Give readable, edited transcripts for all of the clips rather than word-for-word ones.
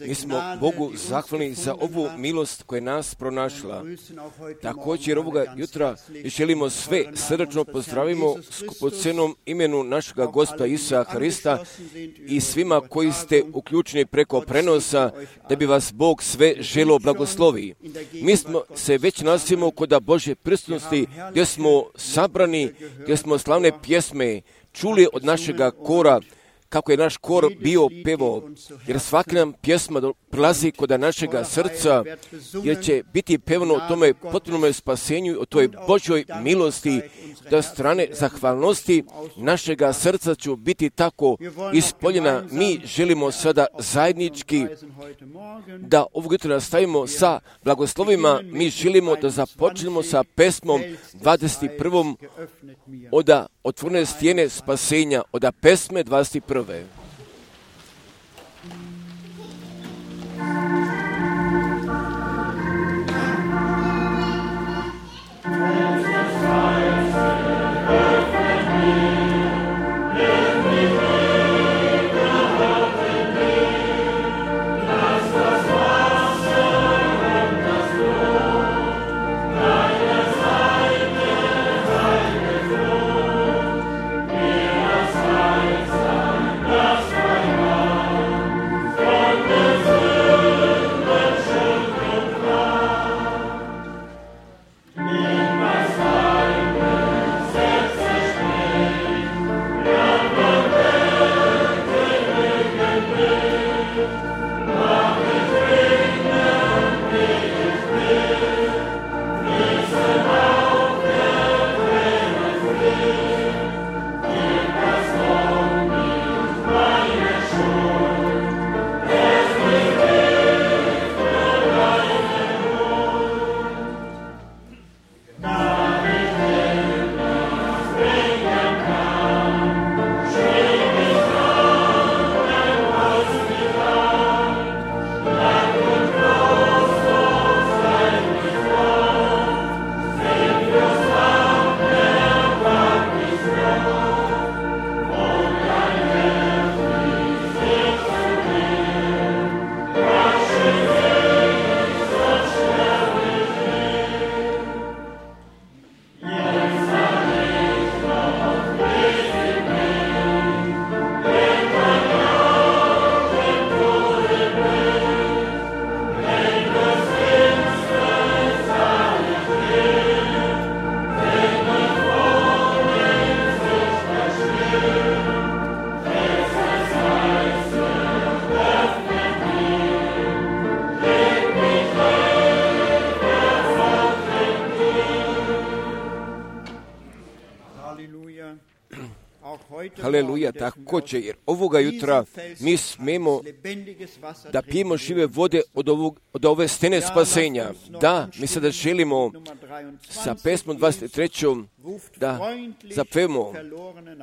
Mi smo Bogu zahvalni za ovu milost koja je nas pronašla. Također ovoga jutra želimo sve srdačno pozdravimo skupocenom imenu našega Gospoda Isusa Hrista i svima koji ste uključeni preko prenosa, da bi vas Bog sve želio blagoslovi. Mi smo se već nalazimo kod Božje prisutnosti, gdje smo sabrani, gdje smo slavne pjesme čuli od našega kora, kako je naš kor bio pevo, jer svaka nam pjesma prilazi kod našega srca, jer će biti pevano o tome potpunome spasenju, o toj Božjoj milosti, da strane zahvalnosti našega srca ću biti tako ispoljena. Mi želimo sada zajednički da ovog jutra nastavimo sa blagoslovima. Mi želimo da započnemo sa pesmom 21. od otvorene stijene spasenja, od pesme 21. Haleluja, također, jer ovoga jutra mi smemo da pijemo žive vode od ove stene spasenja. Da, mi sada želimo sa pesmom 23. da zapevamo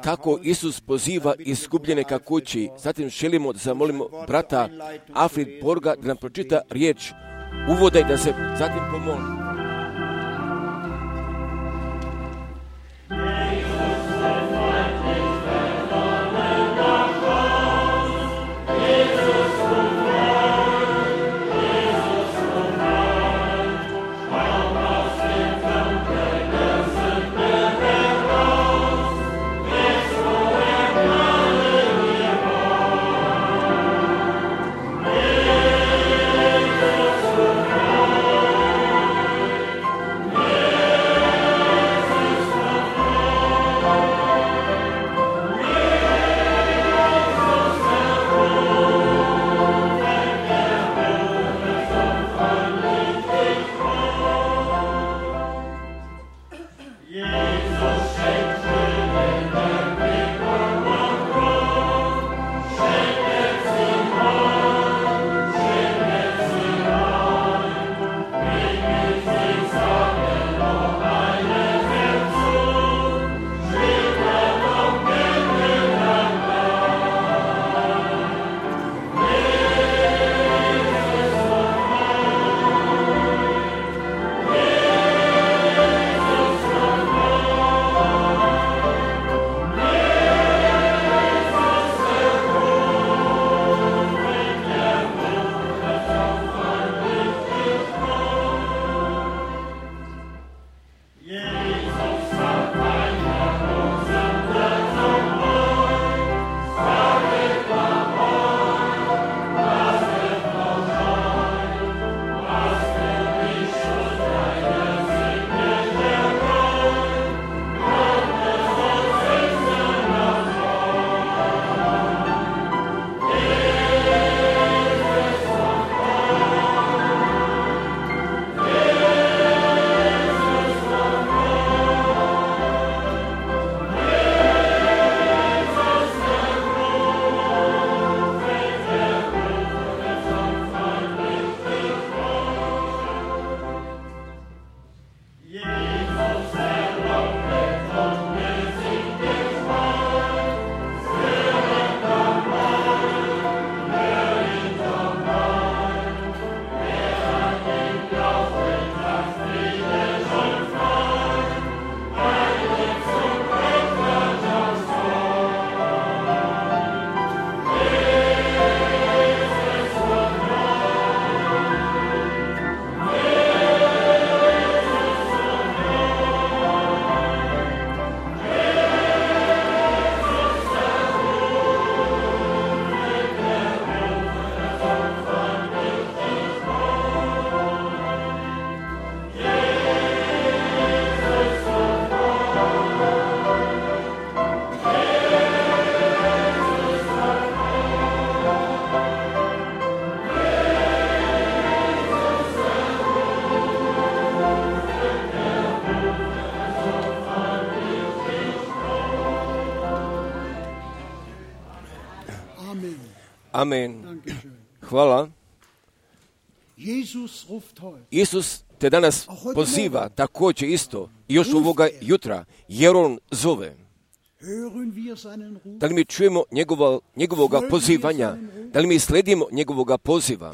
kako Isus poziva izgubljene ka kući. Zatim želimo da zamolimo brata Alfred Borga da nam pročita riječ uvoda i da se zatim pomoli. Amen. Hvala. Isus te danas poziva također isto, još ovoga jutra, jer On zove. Da li mi čujemo njegovoga pozivanja? Da li mi sledimo njegovoga poziva?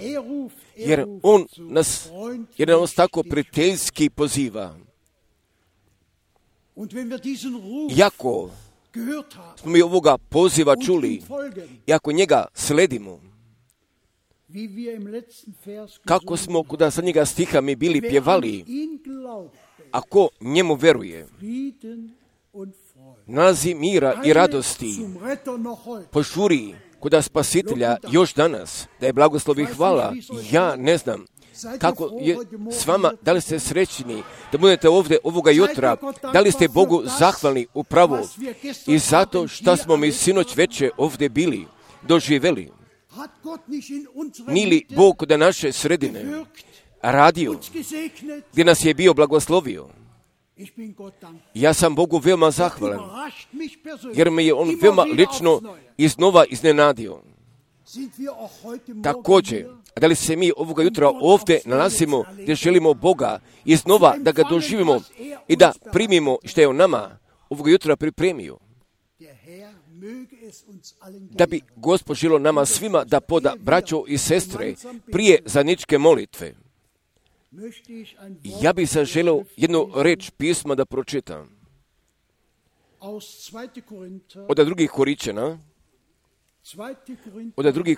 Jer On nas tako prijateljski poziva. Iako smo mi ovoga poziva čuli, i ako njega sledimo, kako smo kod zadnjega stiha mi bili pjevali, ako njemu veruje, nalazi mira i radosti, požuri kod spasitelja još danas, da je blagoslov i hvala. Ja ne znam kako je s vama, da li ste srećni da budete ovdje ovoga jutra, da li ste Bogu zahvalni upravo i zato što smo mi sinoć veče ovdje bili, doživjeli. Nije li Bog kod naše sredine radio, gdje nas je bio blagoslovio? Ja sam Bogu veoma zahvalan, jer me je On veoma lično iznova iznenadio. Također, da li se mi ovoga jutra ovdje nalazimo gdje želimo Boga iznova da ga doživimo i da primimo što je On nama ovoga jutra pripremio? Da bi Gospod želio nama svima da poda, braćo i sestre, prije zajedničke molitve. Ja bih se želio jednu reč pisma da pročitam. Od drugih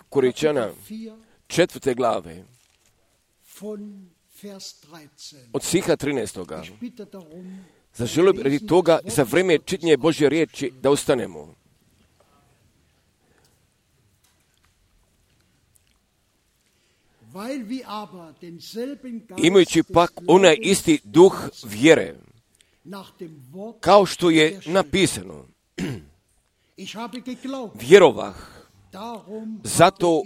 Koričana, 4. glave, od stiha 13. Zaželio bih radi toga za vrijeme čitanja Božje riječi da ustanemo. Imajući pak onaj isti duh vjere, kao što je napisano, vjerovah, zato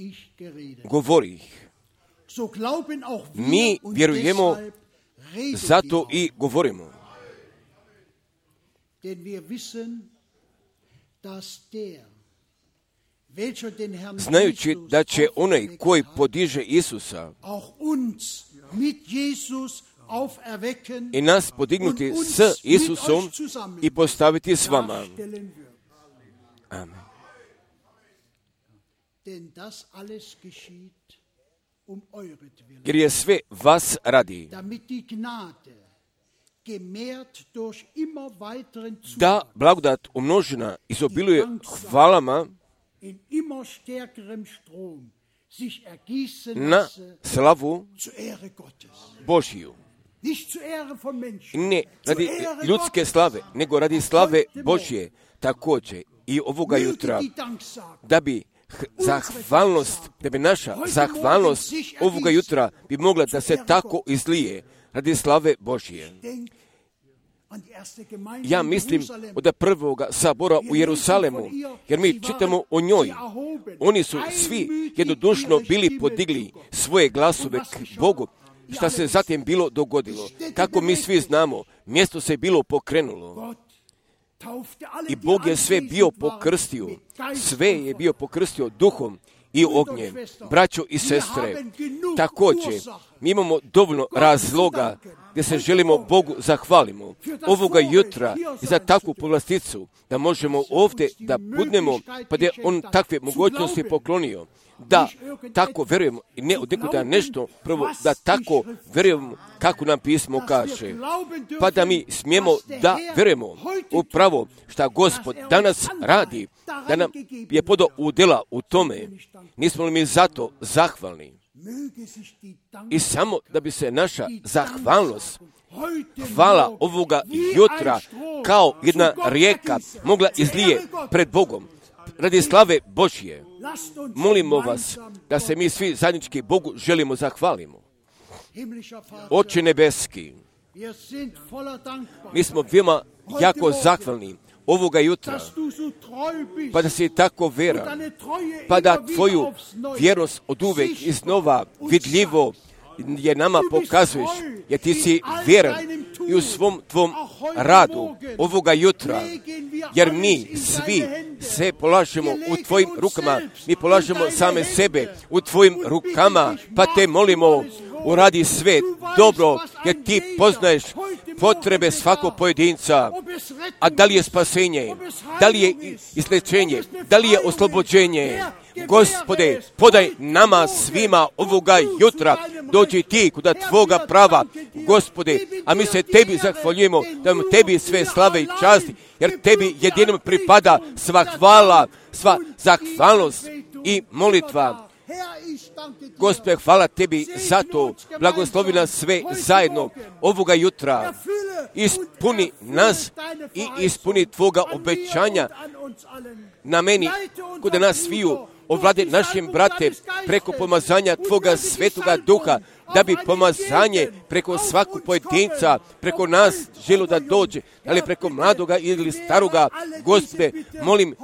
govorih. Mi vjerujemo, zato i govorimo. Znajući da će onaj koji podiže Isusa i nas podignuti s Isusom i postaviti s vama. Amen. Jer je sve vas radi, da blagodat umnožena izobiluje hvalama na slavu Božiju. Ne radi ljudske slave, nego radi slave Božje također i ovoga jutra, da bi zahvalnost, da bi naša zahvalnost ovoga jutra bi mogla da se tako izlije radi slave Božje. Ja mislim od prvoga sabora u Jerusalemu, jer mi čitamo o njoj. Oni su svi jednodušno bili podigli svoje glasove k Bogu. Šta se zatim bilo dogodilo? Kako mi svi znamo, mjesto se bilo pokrenulo. I Bog je sve bio pokrstio. Sve je bio pokrstio duhom i ognjem. Braćo i sestre, također mi imamo dovoljno razloga gdje se želimo Bogu zahvalimo ovoga jutra za takvu povlasticu, da možemo ovdje da budemo, pa da je On takve mogućnosti poklonio, da tako verujemo i ne od nekuda nešto, prvo da tako verujemo kako nam pismo kaže, pa da mi smijemo da verujemo upravo šta Gospod danas radi, da nam je podao udjela u tome. Nismo li mi zato zahvalni? I samo da bi se naša zahvalnost, hvala ovoga jutra kao jedna rijeka mogla izlije pred Bogom radi slave Božje. Molimo vas da se mi svi zajednički Bogu želimo zahvalimo. Oče nebeski, mi smo veoma jako zahvalni ovoga jutra, pa da si tako veran, pa da tvoju vjernost od uvek iznova vidljivo je nama pokazuješ, jer ti si vjeran i u svom tvom radu ovoga jutra, jer mi svi sve polažemo u tvojim rukama, mi polažemo same sebe u tvojim rukama, pa te molimo, uradi sve dobro, jer ti poznaješ potrebe svakog pojedinca, a da li je spasenje, da li je izlečenje, da li je oslobođenje. Gospode, podaj nama svima ovoga jutra, dođi ti kuda tvoga prava, Gospode, a mi se tebi zahvaljujemo, da vam tebi sve slave i časti, jer tebi jedinom pripada sva hvala, sva zahvalnost i molitva. Gospode, hvala tebi za to, blagoslovi nas sve zajedno ovoga jutra, ispuni nas i ispuni tvoga obećanja na meni, kuda nas sviju, ovlade našim brate preko pomazanja tvoga svetoga duha, da bi pomazanje preko svakog pojedinca, preko nas želo da dođe, ali preko mladoga ili staroga. Gospode, molim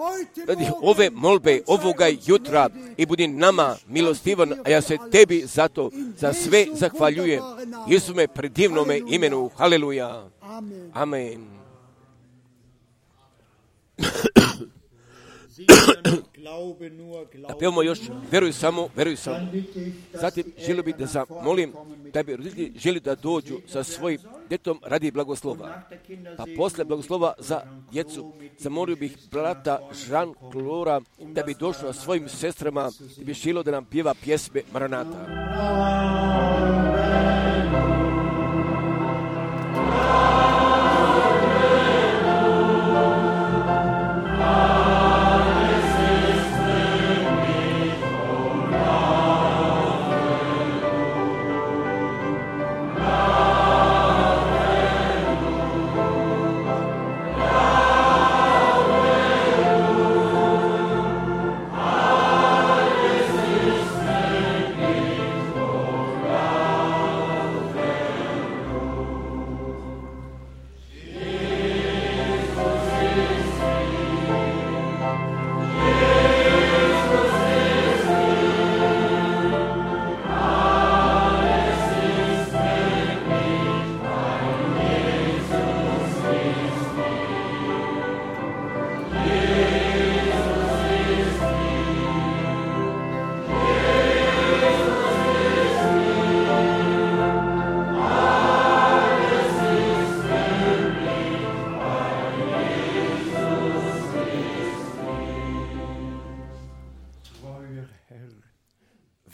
radi ove molbe ovoga jutra i budi nama milostivan, a ja se tebi zato za sve zahvaljujem. Isume predivnome imenu. Haleluja. Amen. A pevamo još, veruj samo, veruj samo. Zatim želio bih da zamolim da bi roditelji želi da dođu sa svojim djetom radi blagoslova. Pa posle blagoslova za djecu zamolio bih brata Žan Klora da bi došao svojim sestrama i bi želio da nam pjeva pjesme Maranata.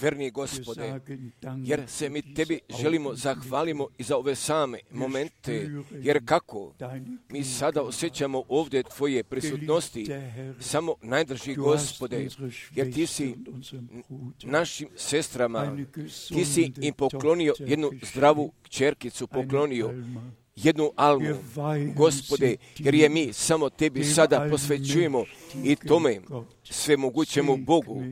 Verni Gospode, jer se mi tebi želimo zahvalimo i za ove same momente, jer kako mi sada osjećamo ovdje tvoje prisutnosti, samo najdrži Gospode, jer ti si našim sestrama, ti si im poklonio jednu zdravu kćerkicu, poklonio jednu Almu, Gospode, jer je mi samo tebi sada posvećujemo i tome svemogućemu Bogu.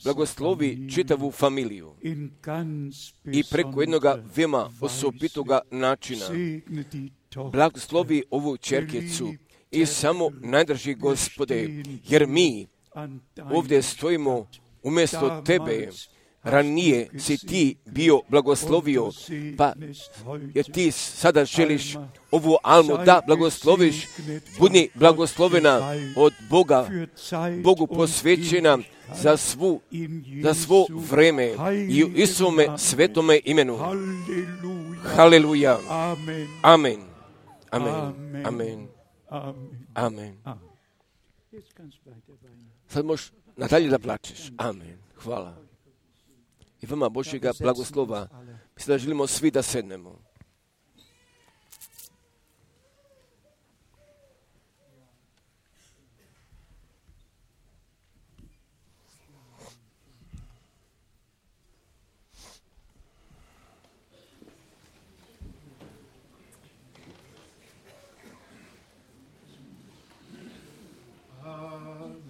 Blagoslovi čitavu familiju i preko jednoga veoma osobitoga načina. Blagoslovi ovu čerkicu i samo najdrži Gospode, jer mi ovdje stojimo umjesto tebe. Ranije si ti bio blagoslovio, pa jer ti sada želiš ovu Almu da blagosloviš, budi blagoslovena od Boga, Bogu posvećena za svo vreme i u Isuvome svetome imenu. Haleluja. Amen. Amen. Amen. Amen. Sad možeš nadalje da plačeš. Amen. Hvala. I vama Božjega blagoslova. Mislim da želimo svi da sednemo.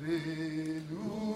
Hallelujah.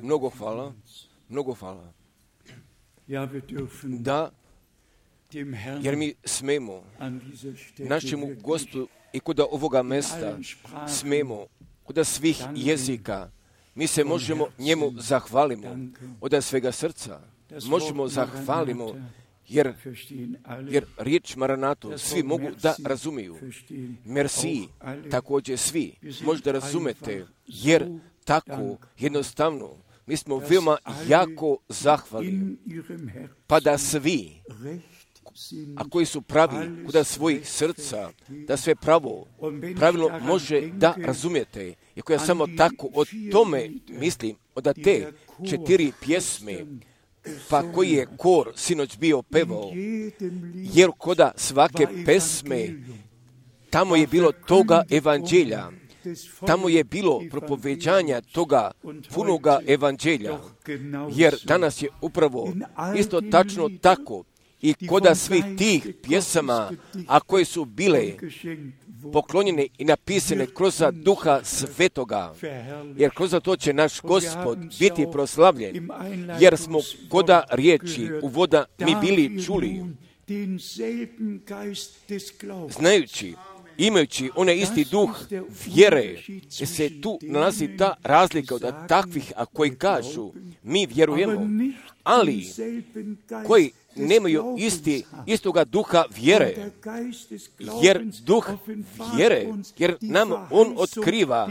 Mnogo hvala, mnogo hvala. Da, jer mi smemo našemu Gospodu i kod ovoga mesta smemo kod svih jezika. Mi se možemo njemu zahvalimo od svega srca. Možemo zahvalimo jer riječ Maranato svi mogu da razumiju. Merci, također svi možda razumete, jer tako jednostavno mi smo veoma jako zahvalni. Pa da svi, a koji su pravi kod svojih srca, da sve pravilno može da razumijete. I ako ja samo tako o tome mislim, od te 4 pjesme, pa koji je kor sinoć bio pevao, jer koda svake pesme, tamo je bilo toga evanđelja, tamo je bilo propoveđanja toga punoga evanđelja, jer danas je upravo isto tačno tako i koda svih tih pjesama, a koje su bile poklonjene i napisane kroz Duha Svetoga, jer kroz to će naš Gospod biti proslavljen, jer smo koda riječi uvoda mi bili čuli, znajući, imajući onaj isti duh vjere, jer se tu nalazi ta razlika od takvih, a koji kažu mi vjerujemo, ali koji nemaju istoga duha vjere, jer duh vjere, jer nam on otkriva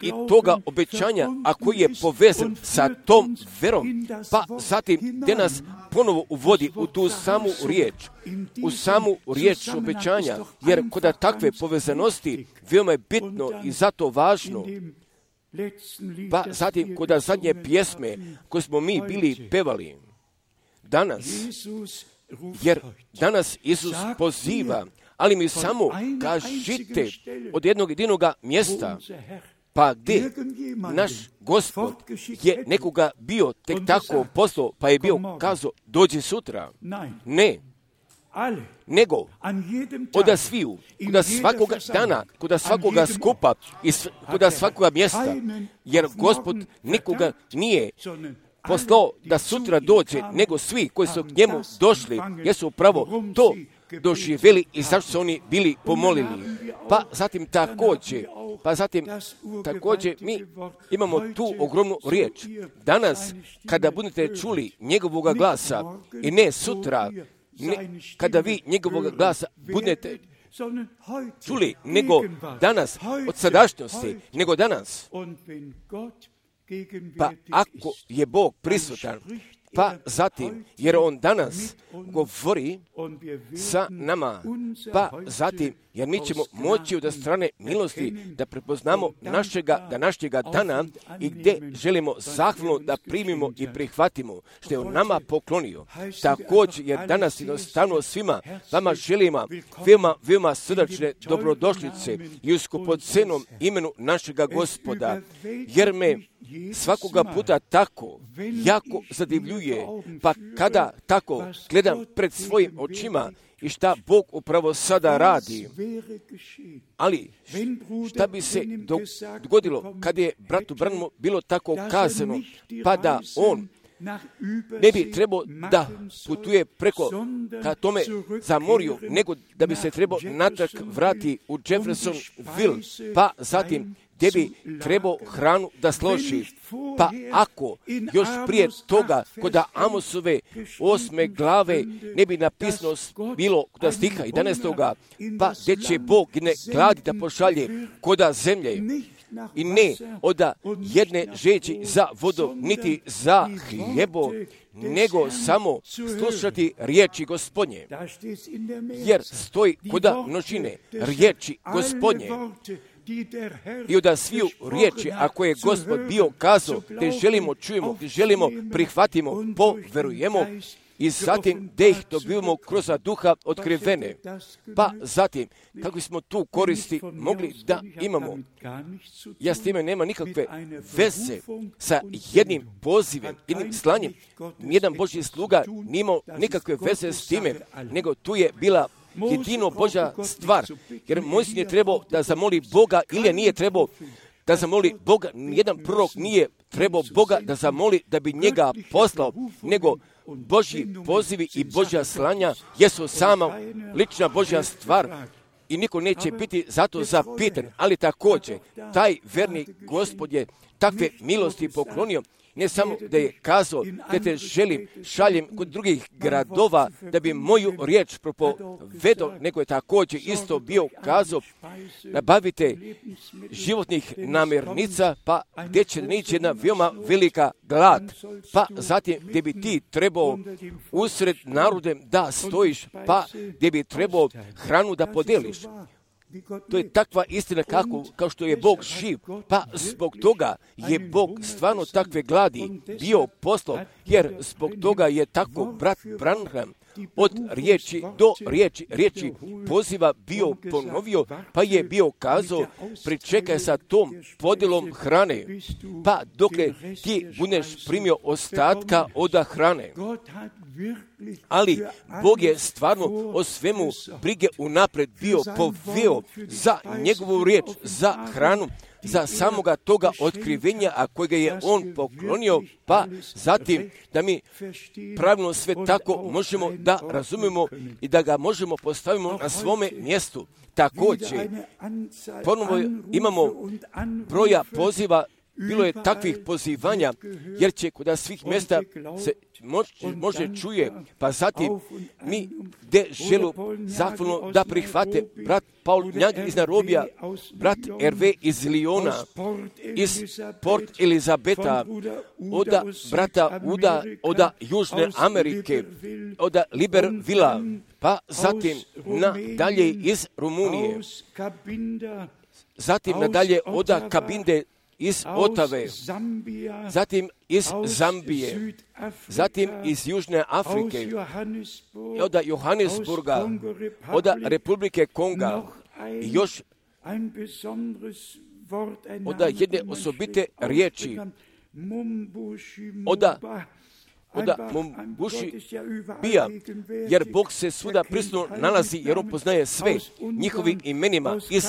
i toga obećanja, a koji je povezan sa tom verom, pa zatim gdje nas ponovo uvodi u tu samu riječ obećanja, jer kod takve povezanosti veoma je bitno i zato važno. Pa zatim kod zadnje pjesme koje smo mi bili pevali danas, jer danas Isus poziva, ali mi samo kažite od jednog jedinog mjesta, pa gdje naš Gospod je nekoga bio tek tako poslao, pa je bio kazao dođi sutra. Ne, nego od sviju, kod svakoga dana, kod svakoga skupa i kod svakoga mjesta, jer Gospod nikoga nije poslao da sutra dođe, nego svi koji su k njemu došli, jesu upravo to doživjeli i zašto su oni bili pomolili. Pa zatim također mi imamo tu ogromnu riječ. Danas, kada budete čuli njegovoga glasa i ne sutra, kada vi njegovoga glasa budete čuli, nego danas, od sadašnjosti, nego danas. Pa ako je Bog prisutan, pa zatim, jer on danas govori sa nama, pa zatim, jer mi ćemo moći od strane milosti da prepoznamo našega današnjega dana i gdje želimo zahvalno da primimo i prihvatimo što je on nama poklonio. Također, jer danas jednostavno svima vama želimo veoma srdačne dobrodošlice i u skupocenom imenu našega Gospoda, jer me svakoga puta tako jako zadivljuje, pa kada tako gledam pred svojim očima i šta Bog upravo sada radi. Ali šta bi se dogodilo kad je bratu Branhamu bilo tako kazano, pa da on ne bi trebao da putuje preko ka tome za morju, nego da bi se trebao natrag vrati u Jeffersonville, pa zatim gdje bi trebao hranu da složi. Pa ako još prije toga kod Amosove 8. glave ne bi napisano bilo kod stiha 11. pa gdje će Bog ne gladi da pošalje kod zemlje i ne od jedne žeđi za vodom, niti za hljebo, nego samo slušati riječi Gospodnje. Jer stoji kod množine riječi Gospodnje. I od sviju riječi, ako je Gospod bio kazao, te želimo čujemo, te želimo prihvatimo, poverujemo i zatim da ih dobivamo kroz duha otkrivene. Pa zatim, kako smo tu koristi mogli da imamo. Ja s time nema nikakve veze sa jednim pozivem, jednim slanjem. Nijedan Božji sluga nije imao nikakve veze s time, nego tu je bila jedino Božja stvar, jer Mojsije je trebao da zamoli Boga ili nije trebao da zamoli Boga. Nijedan prorok nije trebao Boga da zamoli da bi njega poslao, nego Božji pozivi i Božja slanja jesu sama lična Božja stvar i niko neće biti zato zapitan. Ali također, taj verni Gospod je takve milosti poklonio, ne samo da je kazao da te želim, šaljem kod drugih gradova da bi moju riječ propovedao, nego je također isto bio kazao nabavite životnih namirnica, pa gdje će nići jedna veoma velika glad, pa zatim gdje bi ti trebao usred narodem da stojiš, pa gdje bi trebao hranu da podeliš. To je takva istina kao što je Bog živ, pa zbog toga je Bog stvarno takve gladi bio poslao, jer zbog toga je tako brat Branham od riječi do riječi poziva bio ponovio, pa je bio kazao pričekaj sa tom podjelom hrane, pa dokle ti budeš primio ostatka od hrane. Ali Bog je stvarno o svemu brige unapred bio poveo za njegovu riječ, za hranu, za samoga toga otkrivenja, a kojega je on poklonio, pa zatim da mi pravilno sve tako možemo da razumemo i da ga možemo postavimo na svome mjestu. Također, ponovo imamo broja poziva, bilo je takvih pozivanja, jer će kod svih mjesta se može čuje, pa zatim mi gdje želu zahvalno da prihvate brat Paul Njag iz Narobija, brat R.V. iz Liona, iz Port Elizabeta, od brata Uda, od Južne Amerike, od Libervilla, pa zatim nadalje iz Rumunije, zatim nadalje od Kabinde iz Otave, zatim iz Zambije, zatim iz Južne Afrike, od Johannesburga, od Republike Konga, i još od jedne osobite riječi, od Mumbuši bija, jer Bog se svuda prisutno nalazi, jer on poznaje sve njihovim imenima iz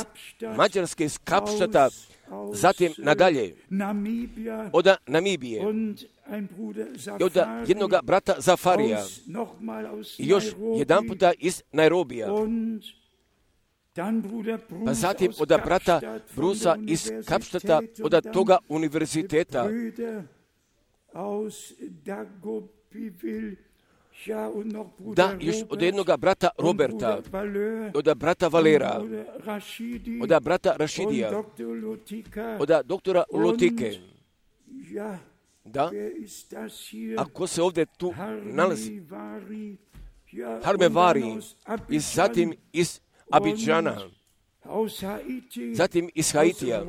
Mađarske, iz Kapštata, zatim nadalje od Namibije i od jednog brata Zafarija i još jedan puta iz Nairobija, pa zatim od brata Brusa iz Kapštata, od toga univerziteta, da još od jednog brata Roberta, od brata Valera, od brata Rašidija, od doktora Lotike. Da, ako se ovdje tu nalazi Harmevari, i zatim iz Abidžana, zatim iz Haitija,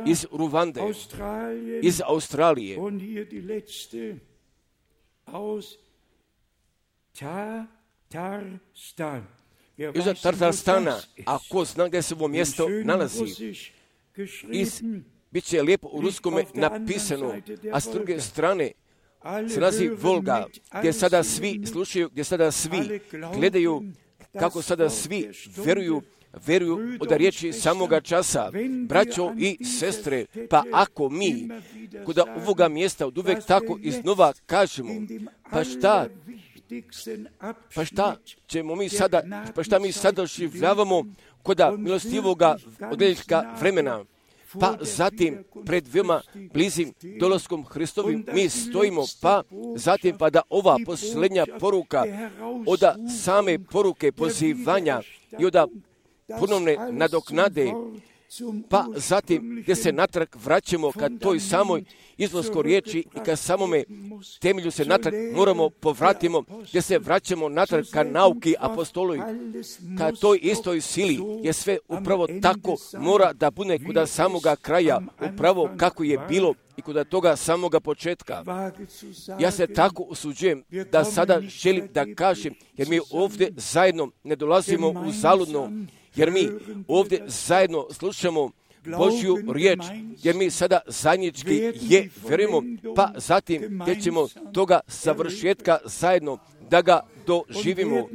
iz Ruvande, iz Australije, iz Tatarstana, a ko zna gdje se ovo mjesto nalazi, bit će lijepo u ruskome napisano, a s druge strane se nalazi Volga, gdje sada svi slušaju, gdje sada svi gledaju, kako sada svi veruju od riječi samoga časa. Braćo i sestre, pa ako mi kod ovoga mjesta od uvek tako iznova kažemo, pa šta mi sada doživljavamo kod milostivoga odljeljka vremena, pa zatim pred veoma blizim dolaskom Hristovim mi stojimo, pa zatim pa da ova posljednja poruka od same poruke pozivanja i od ponovne nadoknade, pa zatim gdje se natrag vraćamo ka toj samoj izlaskoj riječi i ka samome temelju se natrag moramo povratimo, gdje se vraćamo natrag ka nauki apostolovi, ka toj istoj sili, je sve upravo tako mora da bude kod samoga kraja, upravo kako je bilo i kod toga samoga početka. Ja se tako usuđujem da sada želim da kažem, jer mi ovdje zajedno ne dolazimo u zaludno, jer mi ovdje zajedno slušamo Božju riječ, jer mi sada zajednički je vjerujemo, pa zatim gdje ćemo toga savršetka zajedno da ga doživimo.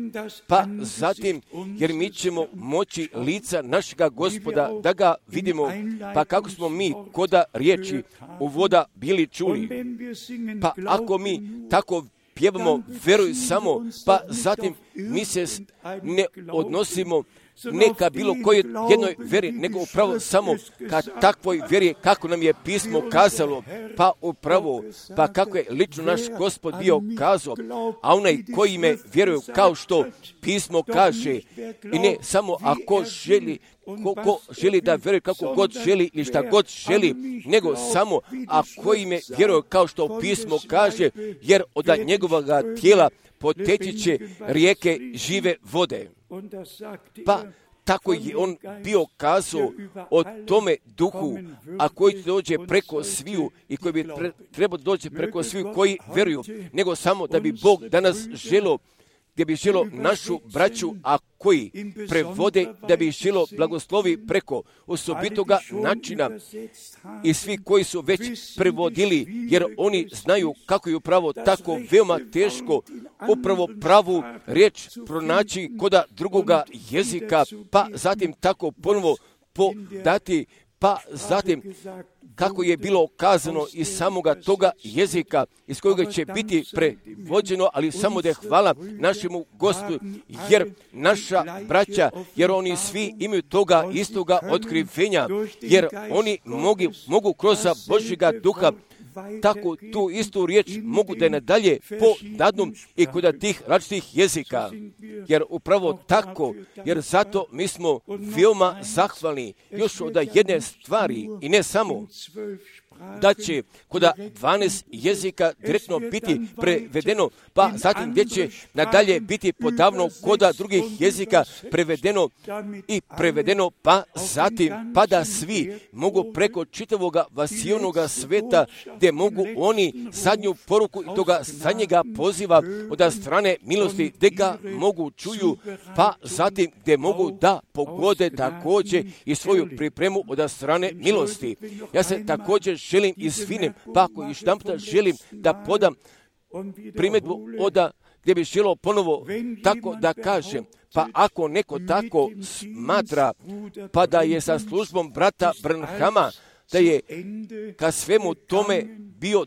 Pa zatim, jer mi ćemo moći lica našega Gospoda da ga vidimo, pa kako smo mi koda riječi uvoda bili čuli. Pa ako mi tako pjevamo veruj samo, pa zatim mi se ne odnosimo ne ka bilo kojoj jednoj vjeri, nego upravo samo ka takvoj vjeri kako nam je pismo kazalo, pa upravo, pa kako je lično naš Gospod bio kazao, a onaj koji me vjeruju kao što pismo kaže, i ne samo ako želi, ko želi da vjeruje kako god želi ili šta god želi, nego samo ako ime vjeruje kao što pismo kaže, jer od njegovoga tijela poteći će rijeke žive vode. Pa tako je on bio kazao o tome duhu, a koji dođe preko sviju i koji bi trebao doći preko sviju koji vjeruju, nego samo da bi Bog danas želo, gdje bi želo našu braću, a koji prevode da bi želo blagoslovi preko osobitoga načina i svi koji su već prevodili, jer oni znaju kako je upravo tako veoma teško upravo pravu riječ pronaći koda drugoga jezika, pa zatim tako ponovo podati, pa zatim kako je bilo kazano iz samoga toga jezika iz kojega će biti prevođeno, ali samo da je hvala našemu Gospodu, jer naša braća, jer oni svi imaju toga istoga otkrivenja, jer oni mogu kroz Božjega duha tako tu istu riječ mogu da je nadalje podadnu i kod tih različitih jezika. Jer upravo tako, jer zato mi smo veoma zahvalni još od jedne stvari i ne samo da će kod 12 jezika direktno biti prevedeno, pa zatim gdje će nadalje biti podavno kod drugih jezika prevedeno, pa zatim pa da svi mogu preko čitavoga vasijonoga sveta, gdje mogu oni zadnju poruku i toga zadnjega poziva od strane milosti, gdje ga mogu čuju, pa zatim gdje mogu da pogode također i svoju pripremu od strane milosti. Ja se također želim izvinem, pa ako još jedanput želim da podam primjedbu gdje bi želo ponovo tako da kažem, pa ako neko tako smatra, pa da je sa službom brata Branhama, da je ka svemu tome bio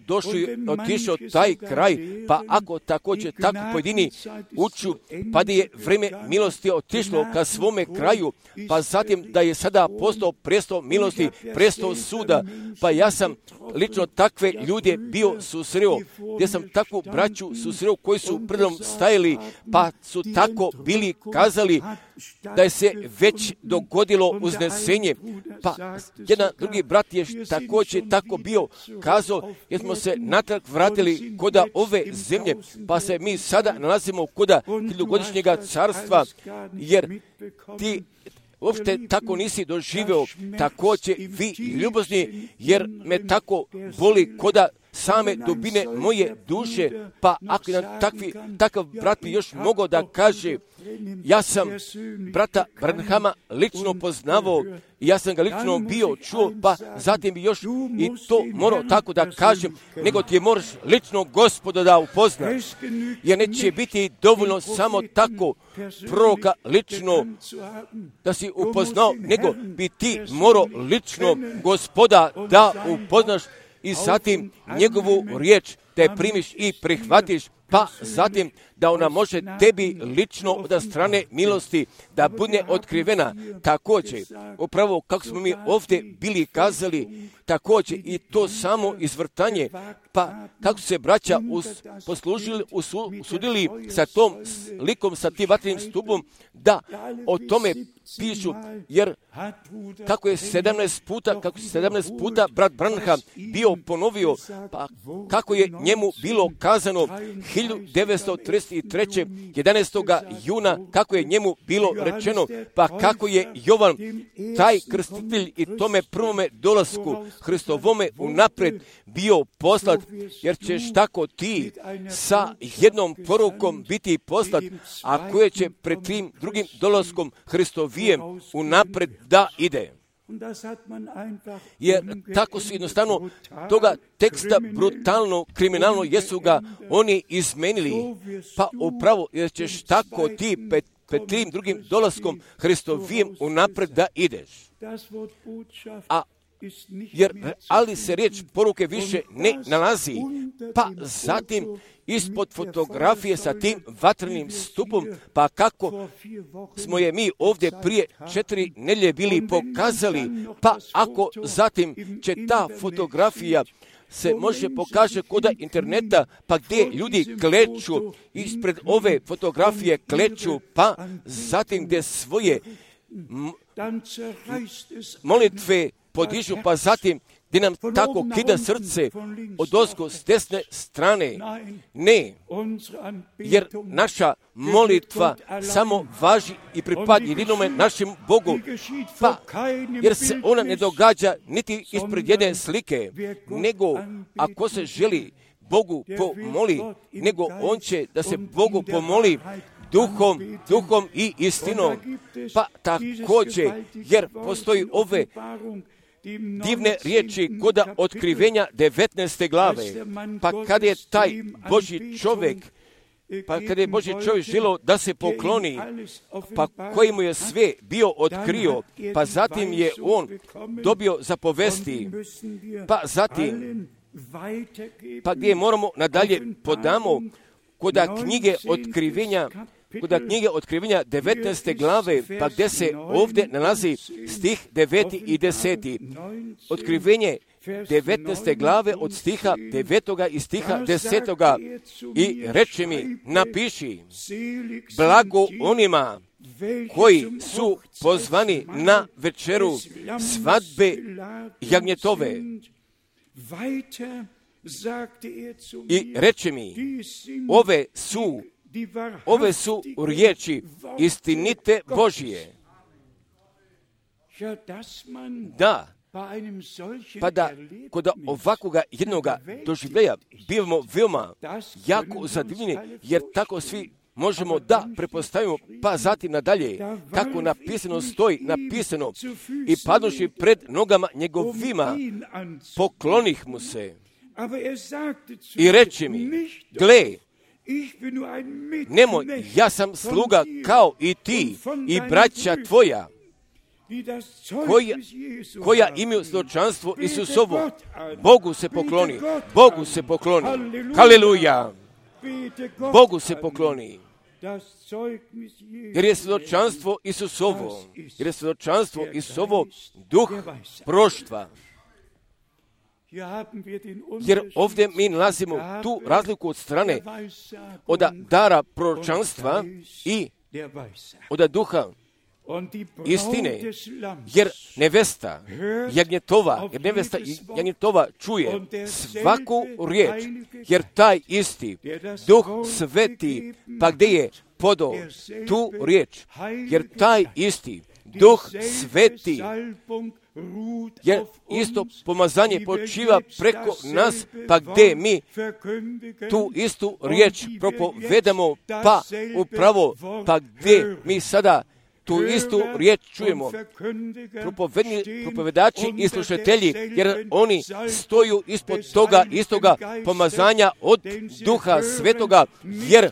otišao taj kraj, pa ako također tako pojedini uču, pa da je vrijeme milosti otišlo ka svome kraju, pa zatim da je sada postao prestol milosti, prestol suda, pa ja sam lično takve ljude bio susreo, gdje sam takvu braću susreo koji su predom stajali, pa su tako bili kazali da je se već dogodilo uznesenje, pa jedan drugi brat je također tako bio kazao, jer smo se natrag vratili koda ove zemlje, pa se mi sada nalazimo koda hiljadugodišnjega carstva, jer ti uopšte tako nisi doživeo, također vi ljubozni, jer me tako boli koda same dubine moje duše, pa ako nam takav brat bi još mogao da kaže, ja sam brata Branhama lično poznavao, ja sam ga lično bio čuo, pa zatim bi još i to morao tako da kažem, nego ti moraš lično Gospoda da upoznaš, jer neće biti dovoljno samo tako proroka lično da si upoznao, nego bi ti morao lično Gospoda da upoznaš i zatim njegovu riječ da je primiš i prihvatiš, pa zatim da ona može tebi lično od strane milosti da bude otkrivena. Također, upravo kako smo mi ovdje bili kazali, također i to samo izvrtanje, pa kako se braća usudili sa tom likom, sa tim vatrenim stupom, da o tome pišu, jer kako je 17 puta brat Branham bio ponovio, pa kako je njemu bilo kazano 1933. 11. juna, kako je njemu bilo rečeno, pa kako je Jovan, taj krstitelj i tome prvome dolasku Hristovome unaprijed bio poslat, jer ćeš tako ti sa jednom porukom biti poslat, a koje će pred tim drugim dolaskom Hristovijem unaprijed da ide. Jer tako su jednostavno toga teksta brutalno, kriminalno jesu ga oni izmenili. Pa upravo jer ćeš tako ti pred tim drugim dolaskom Hristovijem unapred da ideš. Ali se riječ poruke više ne nalazi. Pa zatim ispod fotografije sa tim vatrenim stupom, pa kako smo je mi ovdje prije 4 nedjelje bili pokazali, pa ako zatim će ta fotografija se može pokaže koda interneta, pa gdje ljudi kleču, ispred ove fotografije kleču, pa zatim gdje svoje molitve podižu, pa zatim gdje nam tako kida srce odozgo s desne strane. Ne, jer naša molitva samo važi i pripadne jedinome našem Bogu, pa jer se ona ne događa niti ispred jedne slike, nego ako se želi Bogu pomoli, nego on će da se Bogu pomoli duhom i istinom. Pa također, jer postoji ove divne riječi koda otkrivenja 19. glave. Pa kada je taj Božji čovjek, želio da se pokloni, pa koji mu je sve bio otkrio, pa zatim je on dobio zapovesti, pa zatim, pa gdje moramo nadalje podamo koda knjige otkrivenja 19. glave, pa gdje se ovdje nalazi stih 9. i 10. Otkrivenje 19. glave od stiha 9. i stiha 10. I reče mi, napiši, blago onima koji su pozvani na večeru svadbe jagnjetove. I reče mi, ove su riječi istinite Božije. Da, pa da kod ovakvoga jednoga doživljeja bivamo veoma jako zadivljeni, jer tako svi možemo da prepostavimo, pa zatim nadalje, kako napisano stoji, i padoši pred nogama njegovima, poklonih mu se. I reče mi, gle, nemoj, ja sam sluga kao i ti i braća tvoja, koja imaju svjedočanstvo Isusovo. Bogu se pokloni. Haleluja! Bogu se pokloni. Jer je svjedočanstvo Isusovo, duh proroštva. Jer ovdje mi nalazimo tu razliku od strane od dara proročanstva i od duha istine, jer nevesta jagnjetova čuje svaku riječ, jer taj isti duh sveti, pa gdje je podao tu riječ, jer taj isti duh sveti, jer isto pomazanje počiva preko nas, pa gdje mi tu istu riječ propovedamo, pa upravo, pa gdje mi sada tu istu riječ čujemo, propovedači i slušatelji, jer oni stoju ispod toga istoga pomazanja od Duha Svetoga, jer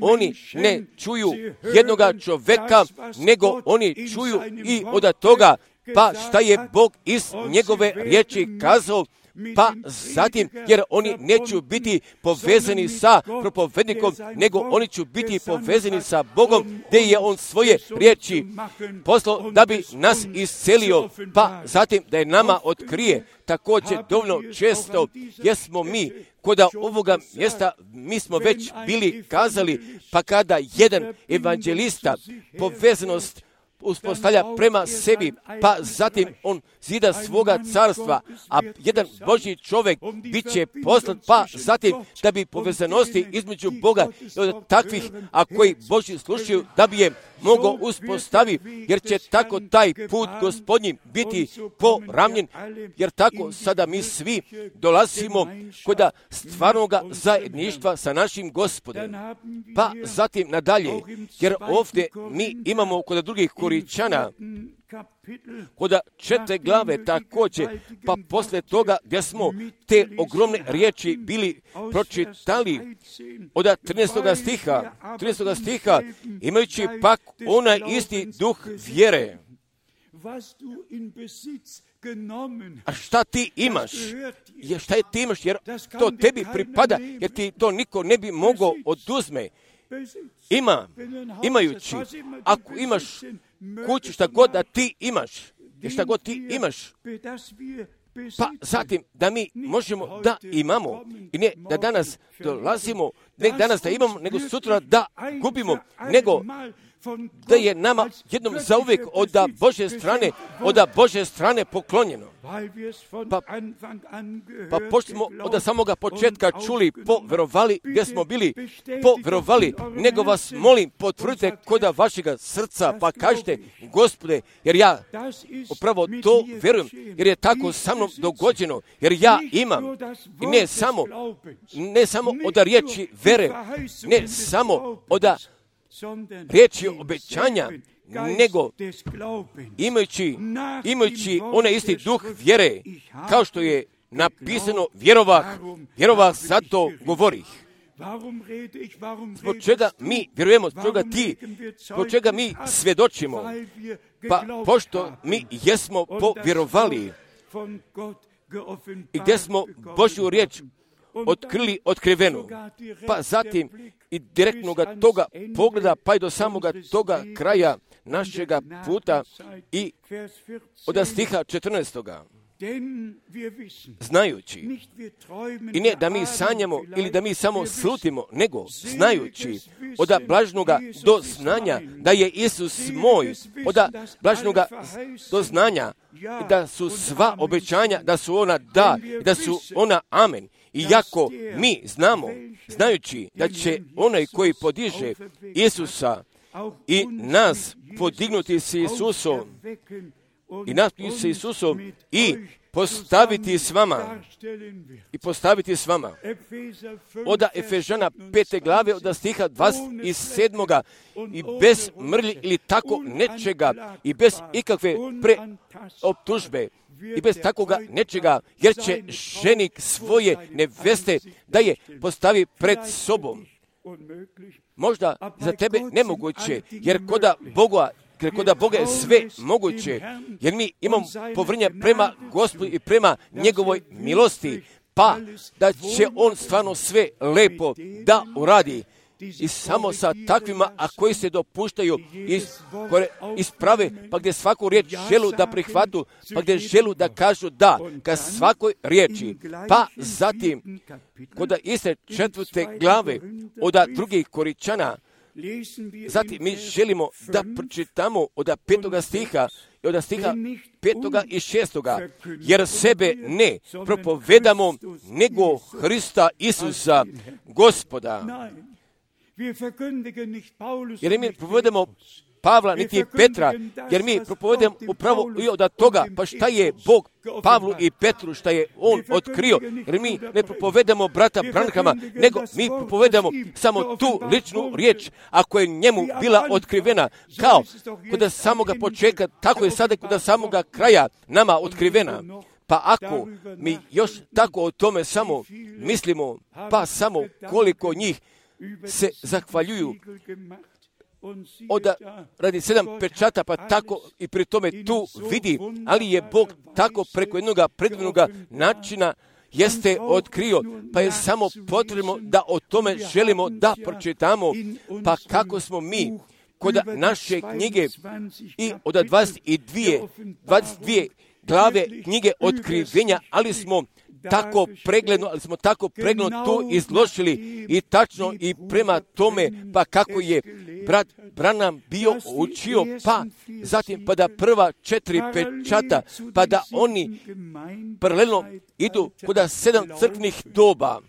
oni ne čuju jednoga čoveka, nego oni čuju i od toga, pa šta je Bog iz njegove riječi kazao, pa zatim, jer oni neće biti povezani sa propovednikom, nego oni će biti povezani sa Bogom, gdje je on svoje riječi poslao da bi nas iscelio, pa zatim da je nama otkrije. Također dovoljno često, jer smo mi kod ovoga mjesta, mi smo već bili kazali, pa kada jedan evanđelista povezanost uspostavlja prema sebi, pa zatim on zida svoga carstva, a jedan Božji čovjek bit će poslat, pa zatim da bi povezanosti između Boga i od takvih, a koji Božji slušaju, da bi je mogao uspostaviti, jer će tako taj put Gospodnji biti poravnjen, jer tako sada mi svi dolazimo kod stvarnoga zajedništva sa našim Gospodem. Pa zatim nadalje, jer ovdje mi imamo kod drugih Koričana, od 4. glave također, pa posle toga gdje smo te ogromne riječi bili pročitali od 13. stiha, imajući pak onaj isti duh vjere. A šta ti imaš? Šta je ti imaš? Jer to tebi pripada, jer ti to niko ne bi mogao oduzme. Imajući, ako imaš kuću, šta god da ti imaš, pa zatim da mi možemo da imamo i ne da danas dolazimo, ne danas da imamo, nego sutra da gubimo, nego da je nama jednom zauvijek od Božje strane poklonjeno. Pa pošto smo od samoga početka čuli, poverovali gdje smo bili, poverovali, nego vas molim, potvrdite koda vašega srca, pa kažete, Gospode, jer ja upravo to verujem, jer je tako sa mnom dogođeno, jer ja imam, i ne samo od riječi vere, ne samo od riječi obećanja, nego imajući onaj isti duh vjere, kao što je napisano, vjerovah zato govorih. Zbog čega mi vjerujemo, zbog čega mi svjedočimo, pa pošto mi jesmo povjerovali i gdje smo Božju riječ otkrivenu, pa zatim i direktnoga toga pogleda, pa i do samoga toga kraja našega puta i od stiha 14. Znajući, i ne da mi sanjamo ili da mi samo slutimo, nego znajući od blažnoga do znanja da je Isus moj, od blažnoga do znanja da su sva obećanja, da su ona da, da su ona amen. Iako mi znamo, znajući da će onaj koji podiže Isusa i nas podignuti s Isusom i postaviti s vama. Od Efežana 5. glave od stiha 27. i bez mrlji ili tako nečega i bez ikakve preoptužbe i bez takoga nečega, jer će ženik svoje neveste da je postavi pred sobom. Možda za tebe nemoguće, jer koda Boga je sve moguće, jer mi imamo povrnje prema Gospodu i prema njegovoj milosti, pa da će on stvarno sve lepo da uradi. I samo sa takvima, a koji se dopuštaju isprave, pa gdje svaku riječ želu da prihvatu, pa gdje želu da kažu da, ka svakoj riječi. Pa zatim, kod iste 4. glave od 2. Koričana, zatim mi želimo da pročitamo od 5. stiha i od stiha 5. i 6. Jer sebe ne propovedamo, nego Hrista Isusa, Gospoda. Jer mi propovedamo Pavla niti Petra, jer mi propovedamo upravo i od toga, pa šta je Bog Pavlu i Petru, šta je on otkrio, jer mi ne propovedamo brata Branhama, nego mi propovedamo samo tu ličnu riječ, ako je njemu bila otkrivena, kao kod samoga početka, tako je sada kod samoga kraja nama otkrivena. Pa ako mi još tako o tome samo mislimo, pa samo koliko njih se zahvaljuju radi 7 pečata, pa tako i pri tome tu vidi, ali je Bog tako preko jednog predivnog načina jeste otkrio, pa je samo potrebno da o tome želimo da pročitamo, pa kako smo mi kod naše knjige i od 22 glave knjige otkrivenja, ali smo tako pregledno to izložili i tačno i prema tome, pa kako je brat Branham bio učio, pa zatim pa da prva 4 pečata, pa da oni paralelno idu kod 7 crkvenih doba,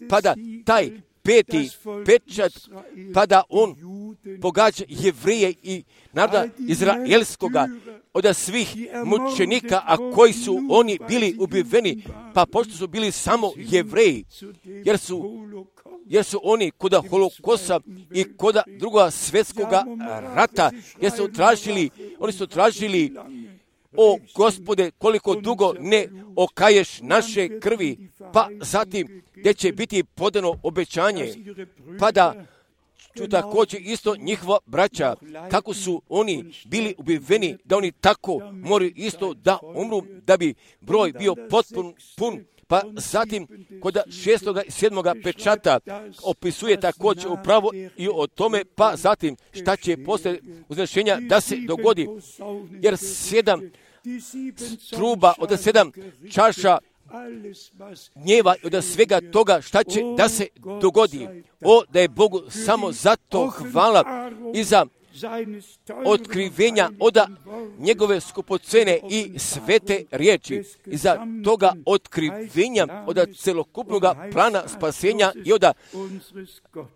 pa da taj 5. pečat, pa da on pogađa Jevreje i naroda izraelskoga od svih mučenika, a koji su oni jer su oni koda Holokosta i koda druga svjetskoga rata, jer su tražili, o Gospode, koliko dugo ne okaješ naše krvi, pa zatim gdje će biti podano obećanje, pa da ću također isto njihova braća, kako su oni bili ubiveni, da oni tako moraju isto da umru, da bi broj bio potpun pun. Pa zatim kod 6. i 7. pečata opisuje također upravo i o tome, pa zatim šta će poslije uznešenja da se dogodi, jer 7 truba od 7 čaša gnjeva od svega toga šta će da se dogodi. O, da je Bogu samo zato hvala i za otkrivenja od njegove skupocene i svete riječi, i za toga otkrivenja od celokupnog plana spasenja i od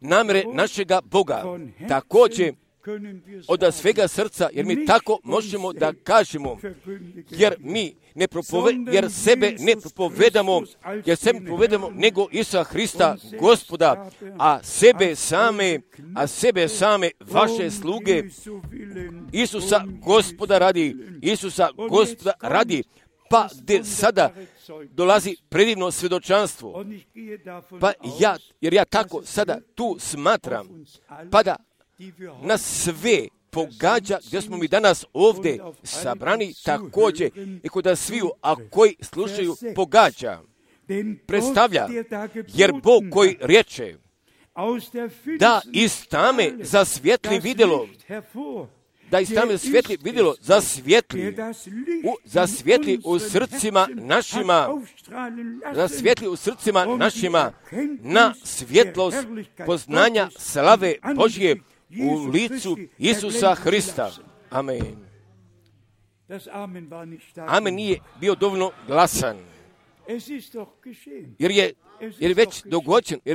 namere našega Boga. Također od svega srca, jer mi tako možemo da kažemo, jer sebe ne propovedamo, nego Isusa Hrista, Gospoda, a sebe same vaše sluge, Isusa Gospoda radi, pa gdje sada dolazi predivno svjedočanstvo, jer ja tako sada tu smatram, pa da nas sve pogađa gdje smo mi danas ovdje sabrani, također i kod sviju, a koji slušaju pogađa, predstavlja, jer Bog koji riječe da iz tame zasvijetli vidjelo, zasvijetli u srcima našima, na svjetlost poznanja slave Božje u licu Isusa Hrista. Amen. Amen nije bio dovoljno glasan, jer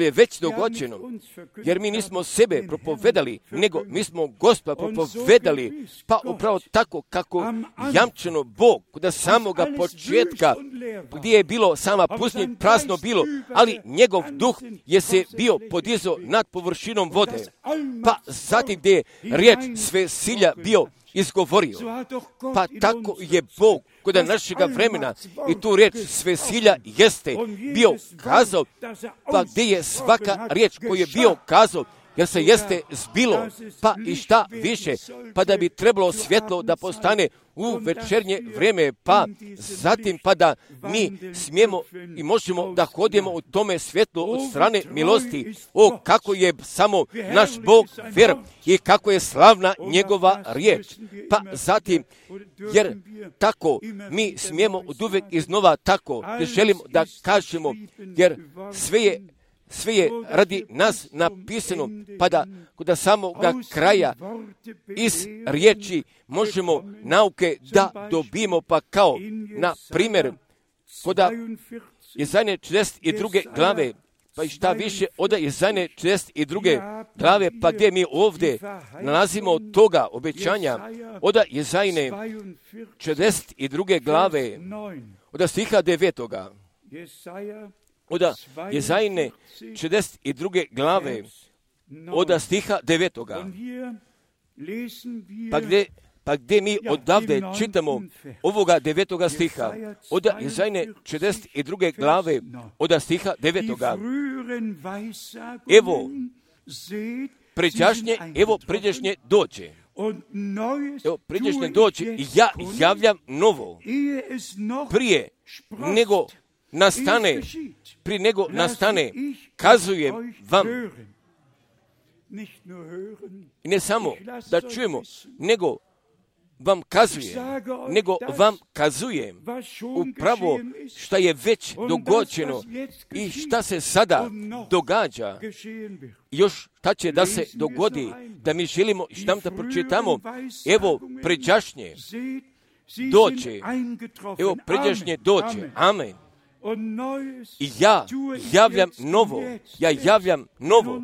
je već dogođeno, jer mi nismo sebe propovedali, nego mi smo Gospoda propovedali, pa upravo tako kako jamčeno Bog kod samoga početka, gdje je bilo sama pustinja, prazno bilo, ali njegov duh je se bio podizao nad površinom vode, pa zatim gdje je riječ sve silja bio izgovorio. Pa tako je Bog kod našega vremena i tu riječ sve silja jeste bio kazao, pa gdje je svaka riječ koju je bio kazao, jer se jeste zbilo, pa i šta više, pa da bi trebalo svjetlo da postane u večernje vrijeme, pa zatim pa da mi smijemo i možemo da hodimo u tome svjetlu od strane milosti. O, kako je samo naš Bog ver i kako je slavna njegova riječ. Pa zatim, jer tako mi smijemo od uvijek iznova tako, jer želimo da kažemo, jer sve je radi nas napisano, pa da kod samoga kraja iz riječi možemo nauke da dobijemo, pa kao, na primjer, kod Jezajne 42. glave, pa i šta više od Jezajne 42. glave, pa gdje mi ovdje nalazimo od toga obećanja, od Jezajne 42. glave, od stiha 9. Od Jezajne 42. glave, od stiha 9. Pa gdje mi odavde čitamo ovoga 9. stiha, od Jezajne 42. glave, od stiha 9. Evo pređašnje dođe. Evo pređašnje dođe i ja javljam novo. Prije nego nastane, kazujem vam. I ne samo da čujemo, nego vam kazujem upravo šta je već dogođeno i šta se sada događa. Još šta će da se dogodi, da mi želimo i šta da pročitamo. Evo pređašnje dođe. Evo pređašnje dođe. Amen. I ja javljam novo,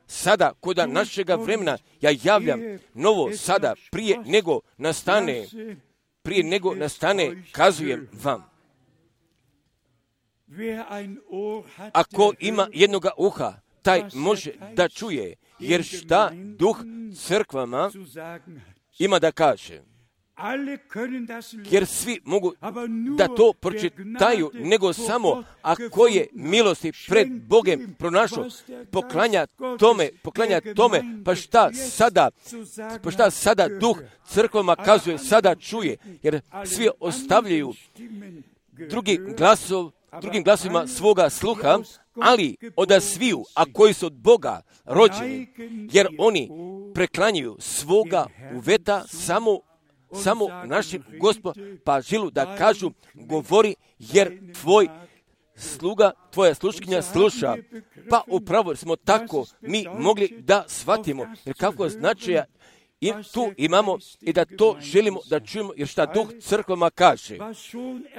sada, kod našega vremena, ja javljam novo sada, prije nego nastane, kazujem vam. Ako ima jednoga uha, taj može da čuje, jer šta duh crkvama ima da kaže. Jer svi mogu da to pročitaju, nego samo ako je milosti pred Bogom pronašao, poklanja tome, pa šta sada duh crkvama kazuje, sada čuje, jer svi ostavljaju drugim glasovima svoga sluha, ali od sviju, a koji su od Boga rođeni, jer oni preklanjaju svoga uveta samo našim Gospod, pa žilu da kažu, govori, jer tvoj sluga, tvoja sluškinja sluša. Pa upravo smo tako mi mogli da shvatimo, jer kako značaja i tu imamo i da to želimo da čujemo, jer šta duh crkvama kaže.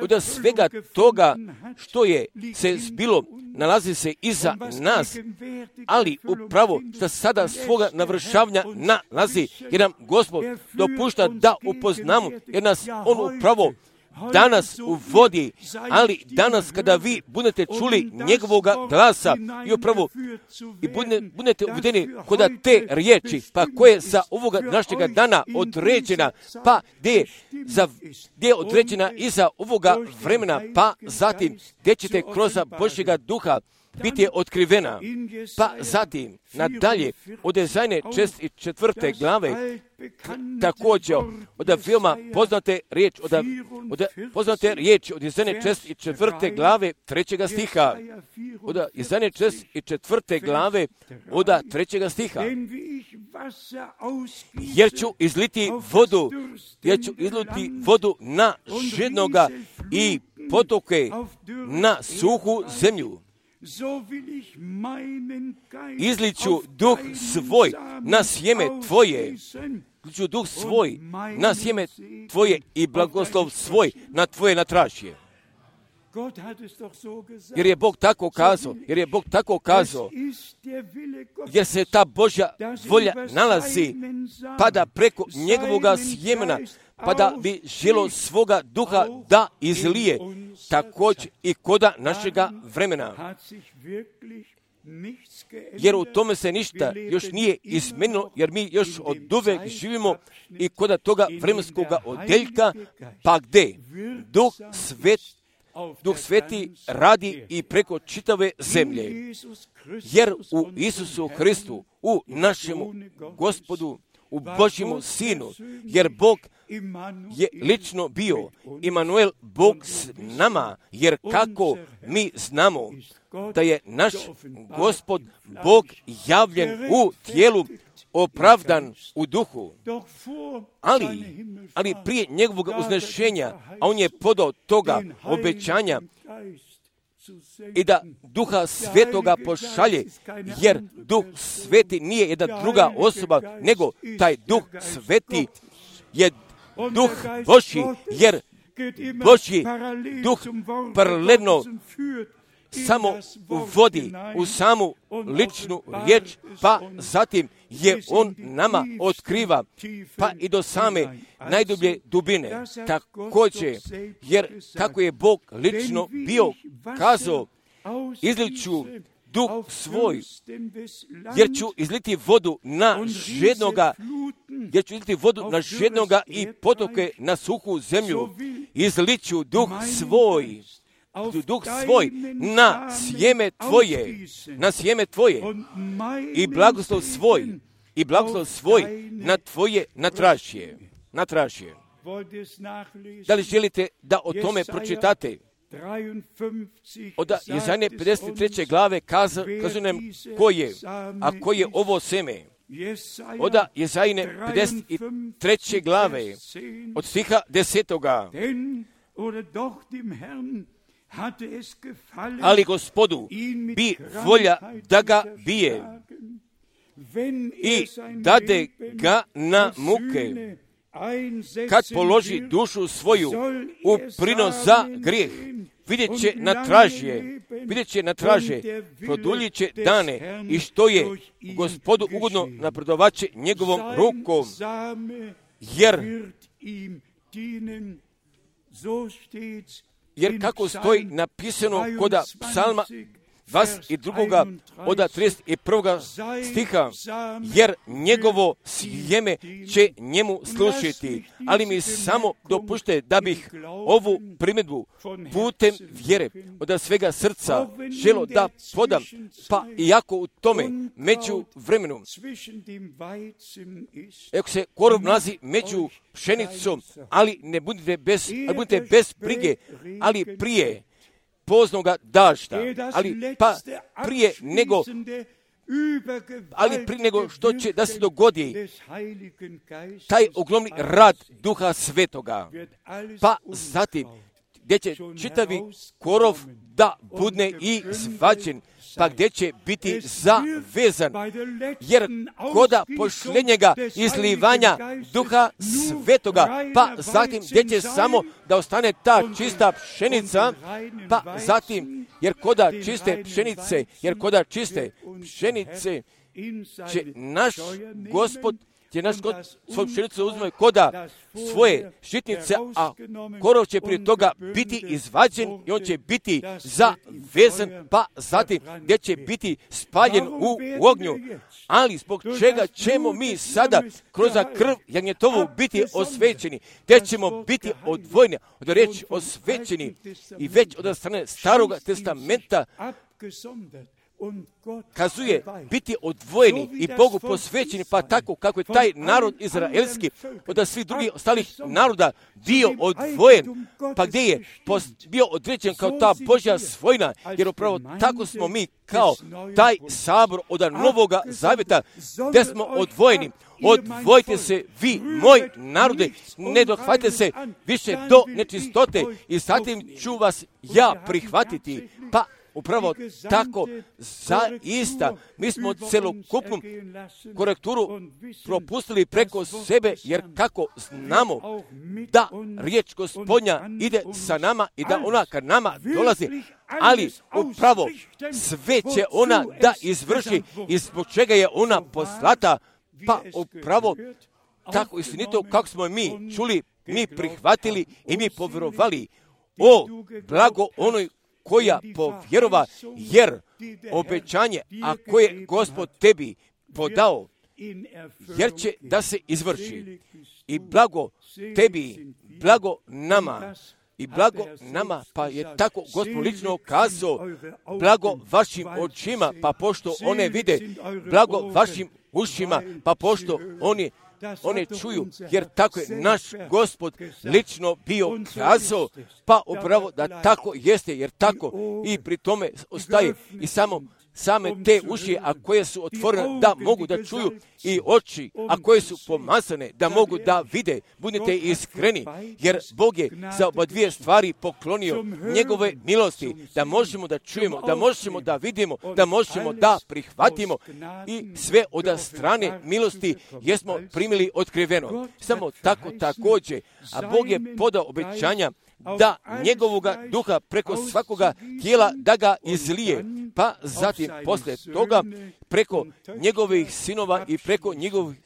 Od svega toga što je se zbilo, nalazi se iza nas, ali upravo što sada svoga navršavanja nalazi, jer nam Gospod dopušta da upoznamo, jer nas On upravo danas uvodi, ali danas kada vi budete čuli njegovoga glasa i upravo i budete uvedeni kod te riječi, pa koje za ovoga našega dana određena, pa gdje je određena iza ovoga vremena, pa zatim gdje ćete kroz Božjega duha biti je otkrivena. Pa zatim, nadalje, od Jezajne 4. glave, također, od veoma poznate riječi, od Jezajne 4. glave 3. stiha, od Jezajne 4. glave od 3. stiha, jer ću izliti vodu na žednoga i potoke na suhu zemlju. Izliću duh svoj na sjeme tvoje, izliću duh svoj na sjeme tvoje i blagoslov svoj na tvoje natražje. Jer je Bog tako kazao, jer se ta Božja volja nalazi, pa da preko njegovoga sjemena, pa da bi želo svoga duha da izlije, također i koda našega vremena. Jer u tome se ništa još nije izmenilo, jer mi još od uvek živimo i koda toga vremenskoga odeljka, pa gde Duh Sveti radi i preko čitave zemlje. Jer u Isusu Hristu, u našemu Gospodu, u Božjemu Sinu, jer Bog je lično bio, Imanuel, Bog s nama, jer kako mi znamo da je naš Gospod Bog javljen u tijelu, opravdan u duhu, ali prije njegovog uznešenja, a on je podao toga obećanja i da Duha Svetoga pošalje, jer Duh Sveti nije jedna druga osoba, nego taj Duh Sveti je Duh Božji, jer Božji Duh paralelno samo uvodi u samu ličnu riječ, pa zatim je on nama otkriva, pa i do same najdublje dubine. Također, jer kako je Bog lično bio kazao, izliću duh svoj, jer ću izliti vodu na žednoga i potoke na suhu zemlju. Izliću duh svoj na sjeme tvoje i blagoslov svoj na tvoje natražje. Da li želite da o tome pročitate? Od Jezajne 53. glave kazuje nam ko je ovo seme. Od Jezajne 53. glave od stiha 10. Ali Gospodu bi volja da ga bije i dade ga na muke, kad položi dušu svoju u prinos za grijeh. Vidjet će na traže, produljit će dane i što je Gospodu ugodno napredovaće njegovom rukom, jer kako stoji napisano kod psalma 22. od 31. stiha, jer njegovo sjeme će njemu slušiti, ali mi samo dopušte da bih ovu primjedbu putem vjere od svega srca želo da podam, pa iako u tome među vremenu, ako se korov nalazi među pšenicom, ali ne budite bez brige, ali prije poznoga dažda, prije nego što će da se dogodi taj ogromni rad Duha Svetoga, pa zatim gdje će čitavi korov da budne i zvađen, pa gdje će biti zavezan, jer koda pošljenjega izlivanja Duha Svetoga, pa zatim gdje će samo da ostane ta čista pšenica, pa zatim, jer koda čiste pšenice će naš Gospod svoju pšenicu uzme koda svoje žitnice, a korov će prije toga biti izvađen i on će biti zavezan, pa zatim gdje će biti spaljen u ognju. Ali zbog čega ćemo mi sada kroz krv jagnjetovu biti osvećeni, gdje ćemo biti odvojeni od riječi osvećeni i već od strane Starog testamenta kazuje biti odvojeni i Bogu posvećeni, pa tako kako je taj narod izraelski od svih drugih ostalih naroda bio odvojen, pa gdje je bio određen kao ta Božja svojina, jer upravo tako smo mi kao taj sabor od Novoga Zavjeta, gdje smo odvojeni. Odvojite se vi, moj narode, ne dohvatite se više do nečistote i zatim ću vas ja prihvatiti. Pa upravo tako, zaista, mi smo celokupnu korekturu propustili preko sebe, jer kako znamo da riječ Gospodnja ide sa nama i da ona ka nama dolazi, ali upravo sve će ona da izvrši i zbog čega je ona poslata, pa upravo tako istinito kako smo mi čuli, mi prihvatili i mi povjerovali. O, blago onoj koja povjerova, jer obećanje, a koje Gospod tebi podao, jer će da se izvrši. I blago tebi, blago nama, pa je tako Gospod lično kazao, blago vašim očima, pa pošto one vide, blago vašim ušima, pa pošto one čuju, jer tako je naš Gospod lično bio kazao, pa upravo da tako jeste, jer tako i pri tome ostaje i same te uši, a koje su otvorene da mogu da čuju, i oči, a koje su pomazane da mogu da vide. Budite iskreni, jer Bog je za oba dvije stvari poklonio njegove milosti, da možemo da čujemo, da možemo da vidimo, da možemo da prihvatimo, i sve od strane milosti jesmo primili otkriveno. Samo tako također, a Bog je podao obećanja da njegovoga duha preko svakoga tijela da ga izlije, pa zatim poslije toga preko njegovih sinova i preko njegovih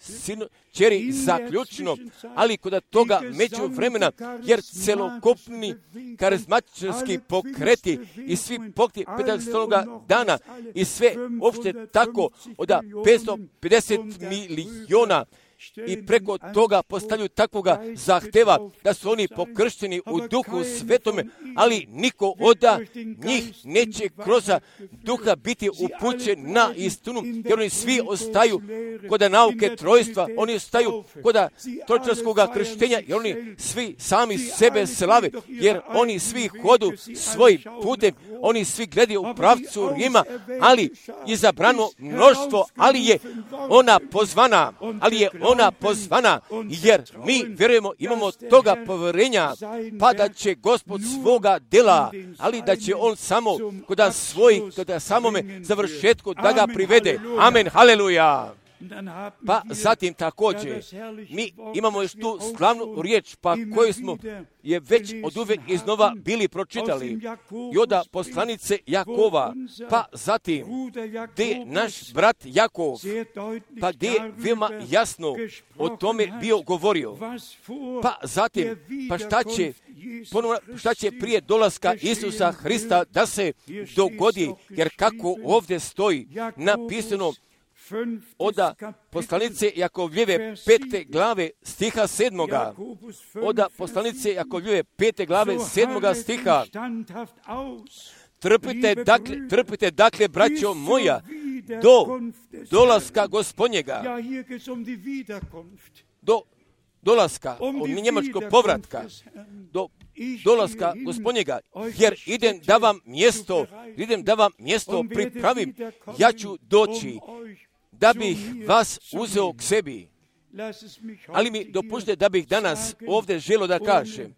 kćeri zaključno, ali kod toga među vremena, jer celokupni karizmatičarski pokreti i svi pokreti Pentekostaloga dana i sve uopšte tako od 550 miliona i preko toga postavljaju takvoga zahteva da su oni pokršteni u Duhu Svetome, ali niko od njih neće kroz Duha biti upućen na istinu, jer oni svi ostaju kod nauke trojstva, oni ostaju kod trojičarskog krštenja, jer oni svi sami sebe slave, jer oni svi hodu svojim putem, oni svi gledaju u pravcu Rima, ali izabrano mnoštvo, ali je ona pozvana, jer mi vjerujemo, imamo toga povjerenja, pa da će Gospod svoga dela, ali da će on samo kod samome završetku da ga privede. Amen, haleluja. Pa zatim također mi imamo još tu slavnu riječ, pa koju smo je već od uvek iznova bili pročitali. I od poslanice Jakova, pa zatim gdje naš brat Jakov, pa gdje je veoma jasno o tome bio govorio. Pa zatim, pa šta će prije dolaska Isusa Hrista da se dogodi, jer kako ovdje stoji napisano od poslanice Jakovljeve 5. glave stiha 7. Od poslanice Jakovljeve 5. glave 7. stiha. Trpite dakle, braćo moja, do dolaska Gospodnjega, do dolaska, od njemačkog povratka, do dolaska Gospodnjega, jer idem da vam mjesto pripravim, ja ću doći da bih vas uzeo k sebi. Ali mi dopustite da bih danas ovdje želio da kažem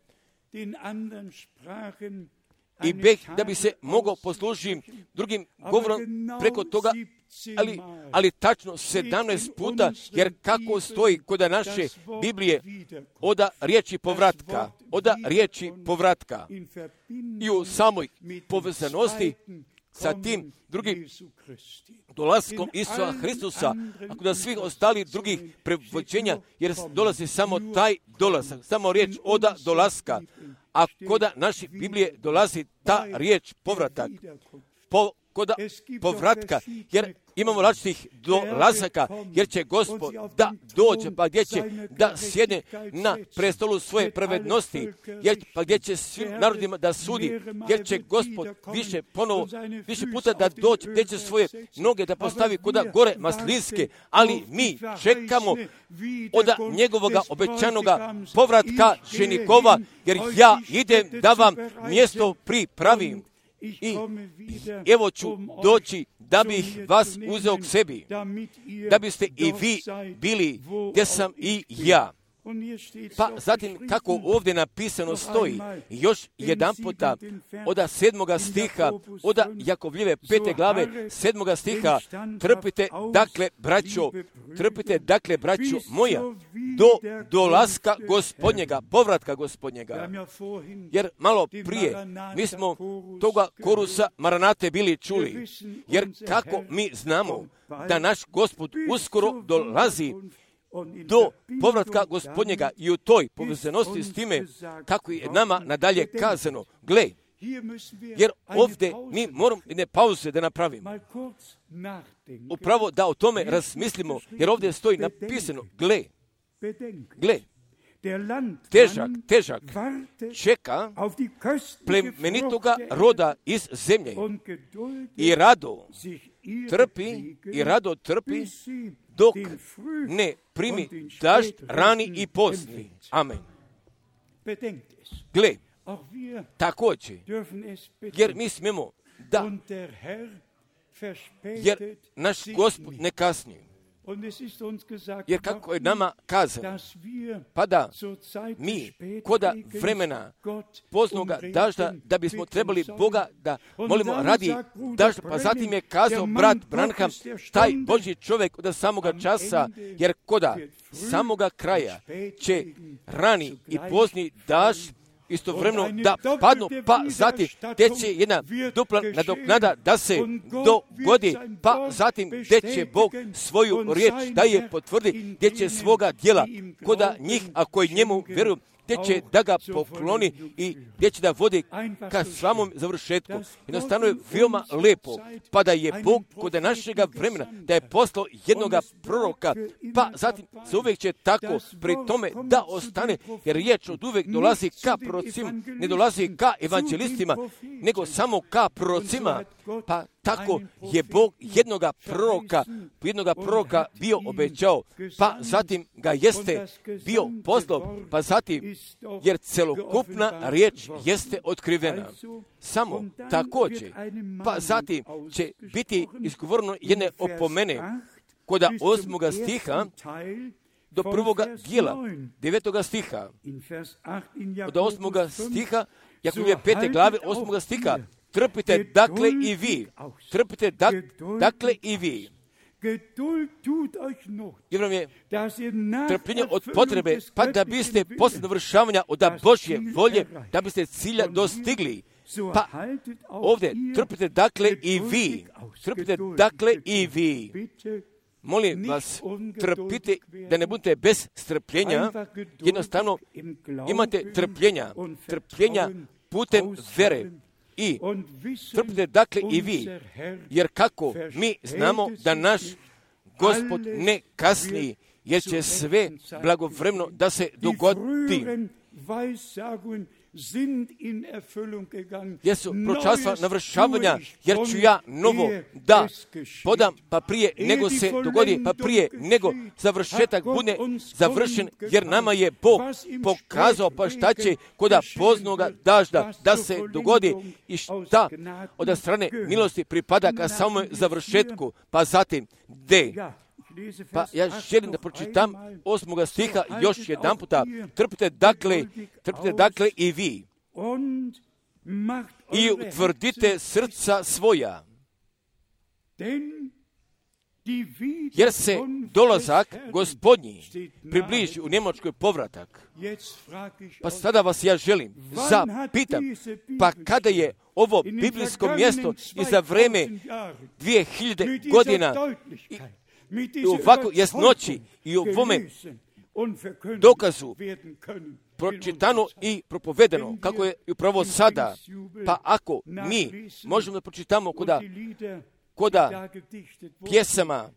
i da bi se mogao poslužiti drugim govorom preko toga, ali tačno 17 puta, jer kako stoji kod naše Biblije od riječi povratka i u samoj povezanosti sa tim drugim dolaskom Isusa Hristusa, ako da svih ostali drugih prevođenja, jer dolazi samo taj dolazak, samo riječ od dolaska, a kod naše Biblije dolazi ta riječ povratak, kod povratka, jer imamo različitih dolazaka, jer će Gospod da dođe, pa gdje će da sjedne na prestolu svoje pravednosti, pa gdje će svim narodima da sudi, jer će Gospod više puta da dođe, gdje će svoje noge da postavi kuda gore maslinske, ali mi čekamo od njegovoga obećanoga povratka ženikova, jer ja idem da vam mjesto pripravim. I evo ću doći da bih vas uzeo k sebi, da biste i vi bili gdje sam i ja. Pa zatim kako ovdje napisano stoji, još jedan puta od 7. stiha, od Jakovljeve 5. glave 7. stiha, trpite dakle braćo moja, do dolaska Gospodnjega, povratka Gospodnjega. Jer malo prije mi smo toga korusa Maranate bili čuli, jer kako mi znamo da naš Gospod uskoro dolazi do povratka Gospodnjega i u toj povezanosti s time kako je nama nadalje kazano. Gle, jer ovdje mi moramo jedne pauze da napravimo. Upravo da o tome razmislimo, jer ovdje stoji napisano, gle, težak čeka plemenitoga roda iz zemlje i rado trpi dok ne primi dažd rani i pozni. Amen. Gle, također, jer mi smijemo da, jer naš Gospod ne kasni. Jer kako je nama kazano, pa da mi koda vremena poznoga dažda, da bismo trebali Boga da molimo radi dažda, pa zatim je kazao brat Branham, taj Božji čovjek od samoga časa, jer koda samoga kraja će rani i pozni dažd istovremeno da padnu, pa zatim gdje će jedna dupla nadoknada da se dogodi, pa zatim gdje će Bog svoju riječ da je potvrdi, gdje će svoga djela koda njih, ako i njemu vjeruju, gdje će da ga pokloni i gdje će da vodi ka samom završetku. Jednostavno je veoma lepo, pa da je Bog kod našega vremena, da je poslao jednoga proroka, pa zatim se uvijek će tako pri tome da ostane, jer riječ od uvijek dolazi ka prorocima, ne dolazi ka evanđelistima, nego samo ka prorocima, pa tako je Bog jednoga proroka bio obećao, pa zatim ga jeste bio poslao, pa zatim, jer celokupna riječ jeste otkrivena. Samo također, pa zatim će biti izgovoreno jedne opomene kod 8. stiha do 1. dijela 9. stiha. Od 8. stiha, Jakovljeve 5. glave 8. stiha, trpite dakle i vi. jer vam je trpljenje od potrebe, pa da biste posle dovršavanja od Božje volje, da biste cilja dostigli. Pa ovdje trpite dakle i vi. Trpite dakle i vi. Molim vas, trpite da ne budete bez strpljenja, jednostavno imate trpljenja putem vere. I trpite dakle i vi, jer kako mi znamo da naš Gospod ne kasni, jer će sve blagovremeno da se dogodi. Jesu proročanstva navršavanja, jer ću ja novo da podam, pa prije nego se dogodi, pa prije nego završetak bude završen, jer nama je Bog pokazao pa šta će koda poznoga dažda da se dogodi i šta od strane milosti pripada ka samom završetku, pa zatim gde. Pa ja želim da pročitam 8. stiha još jedan puta. Trpite dakle i vi i utvrdite srca svoja, jer se dolazak Gospodnji približi, u Njemačkoj povratak. Pa sada vas ja želim zapitam, pa kada je ovo biblijsko mjesto i za vreme 2000 godina i ovako jasnoći i u ovome dokazu pročitano i propovedeno, kako je upravo sada, pa ako mi možemo da pročitamo koda pjesama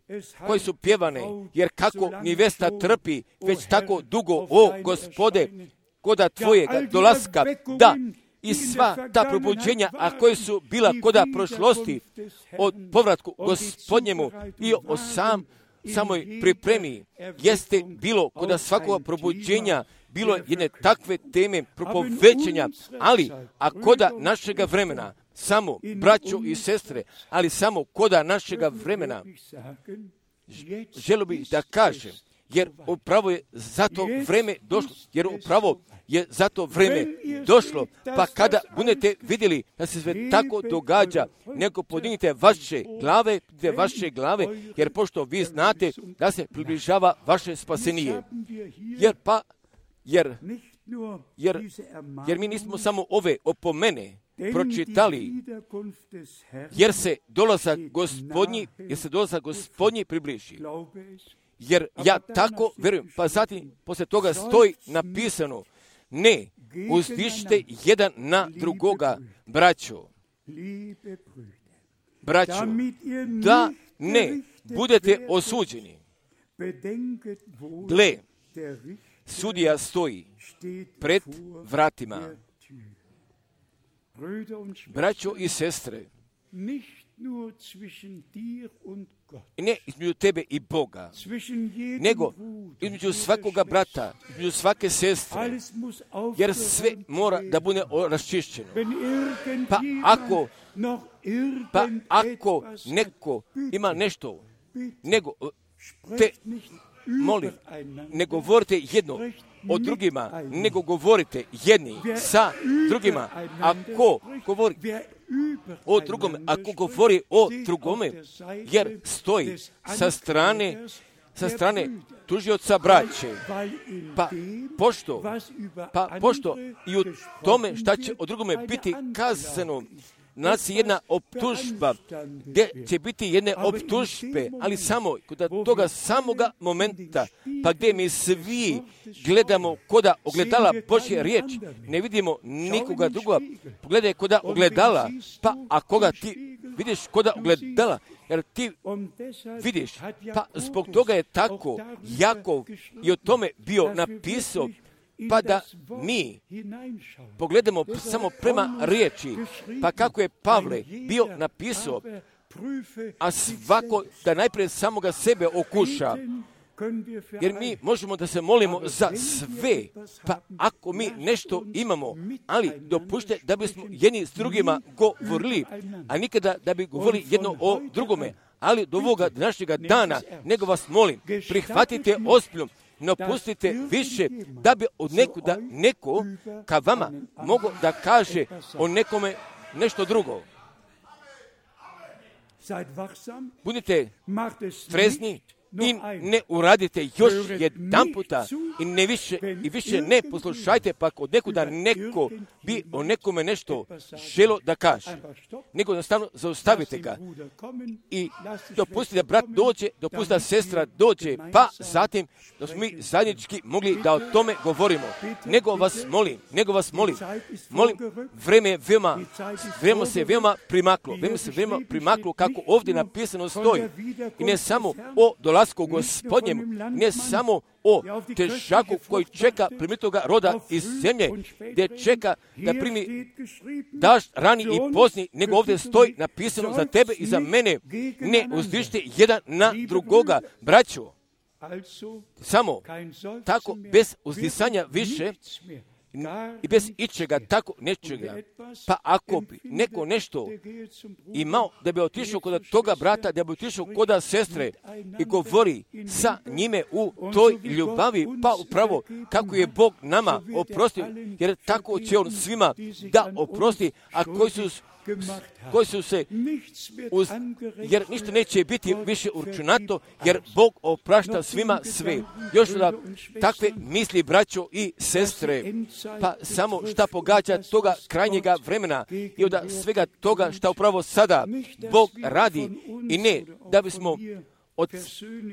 koje su pjevane, jer kako nivesta trpi već tako dugo, o Gospode, koda tvojega dolaska, da, i sva ta probuđenja, a koje su bila koda prošlosti od povratku Gospodnjemu i o samoj pripremi, jeste bilo koda svakog probuđenja, bilo jedne takve teme propovećenja, ali a koda našega vremena, samo braćo i sestre, ali samo koda našega vremena, želio bih da kažem, jer upravo je zato vreme došlo, pa kada budete vidjeli da se sve tako događa, nego podignite vaše glave, jer pošto vi znate da se približava vaše spasenije. Jer mi nismo samo ove opomene pročitali, jer se dolazak Gospodnji približi. Jer ja tako verujem, pa zatim poslije toga stoji napisano, ne uzdišite jedan na drugoga, braćo, da ne budete osuđeni. Gle, sudija stoji pred vratima. Braćo i sestre, ne između tebe i Boga, nego između svakoga brata, između svake sestre, jer sve mora da bude raščišćeno. Pa ako neko ima nešto, nego te molim, ne govorite jedno o drugima, nego govorite jedni sa drugima. Ako govori o drugome, jer stoji sa strane tužioca braće, pa pošto i u tome šta će o drugome biti kazano, nalazi jedna optužba, gdje će biti jedne optužbe, ali samo kod toga samoga momenta, pa gdje mi svi gledamo koda ogledala Božje riječ, ne vidimo nikoga drugoga, pogledaj koda ogledala, pa a koga ti vidiš koda ogledala, jer ti vidiš, pa zbog toga je tako Jakov i o tome bio napisao, pa da mi pogledamo samo prema riječi, pa kako je Pavle bio napisao, a svako da najprije samoga sebe okuša, jer mi možemo da se molimo za sve, pa ako mi nešto imamo, ali dopušte da bismo jedni s drugima govorili, a nikada da bi govorili jedno o drugome, ali do ovoga današnjega dana, nego vas molim, prihvatite ozbiljno, ne pustite više da bi od neko ka vama mogao da kaže o nekome nešto drugo. budite trezni i ne uradite još jedan puta i više ne poslušajte, pa od nekuda neko bi o nekome nešto želo da kaže, nego jednostavno zaustavite ga i dopustite da brat dođe, dopustite da sestra dođe, pa zatim da smo mi zajednički mogli da o tome govorimo. Nego vas molim, vreme se veoma primaklo, kako ovdje napisano stoji, i ne samo o dolasku Gospodnjem, ne samo o težaku koji čeka primitoga roda iz zemlje, gdje čeka da primi dažd rani i pozni, nego ovdje stoji napisano za tebe i za mene, ne uzdižite jedan na drugoga, braćo. Samo tako, bez uzdisanja više i bez ičega, tako nečega. Pa ako bi neko nešto imao, da bi otišao kod toga brata, da bi otišao kod sestre i govori sa njime u toj ljubavi, pa upravo kako je Bog nama oprostio, jer tako će On svima da oprosti, a koji su se jer ništa neće biti više uračunato, jer Bog oprašta svima sve. Još da takve misli, braćo i sestre, pa samo šta pogađa toga krajnjega vremena i od svega toga šta upravo sada Bog radi, i ne da bismo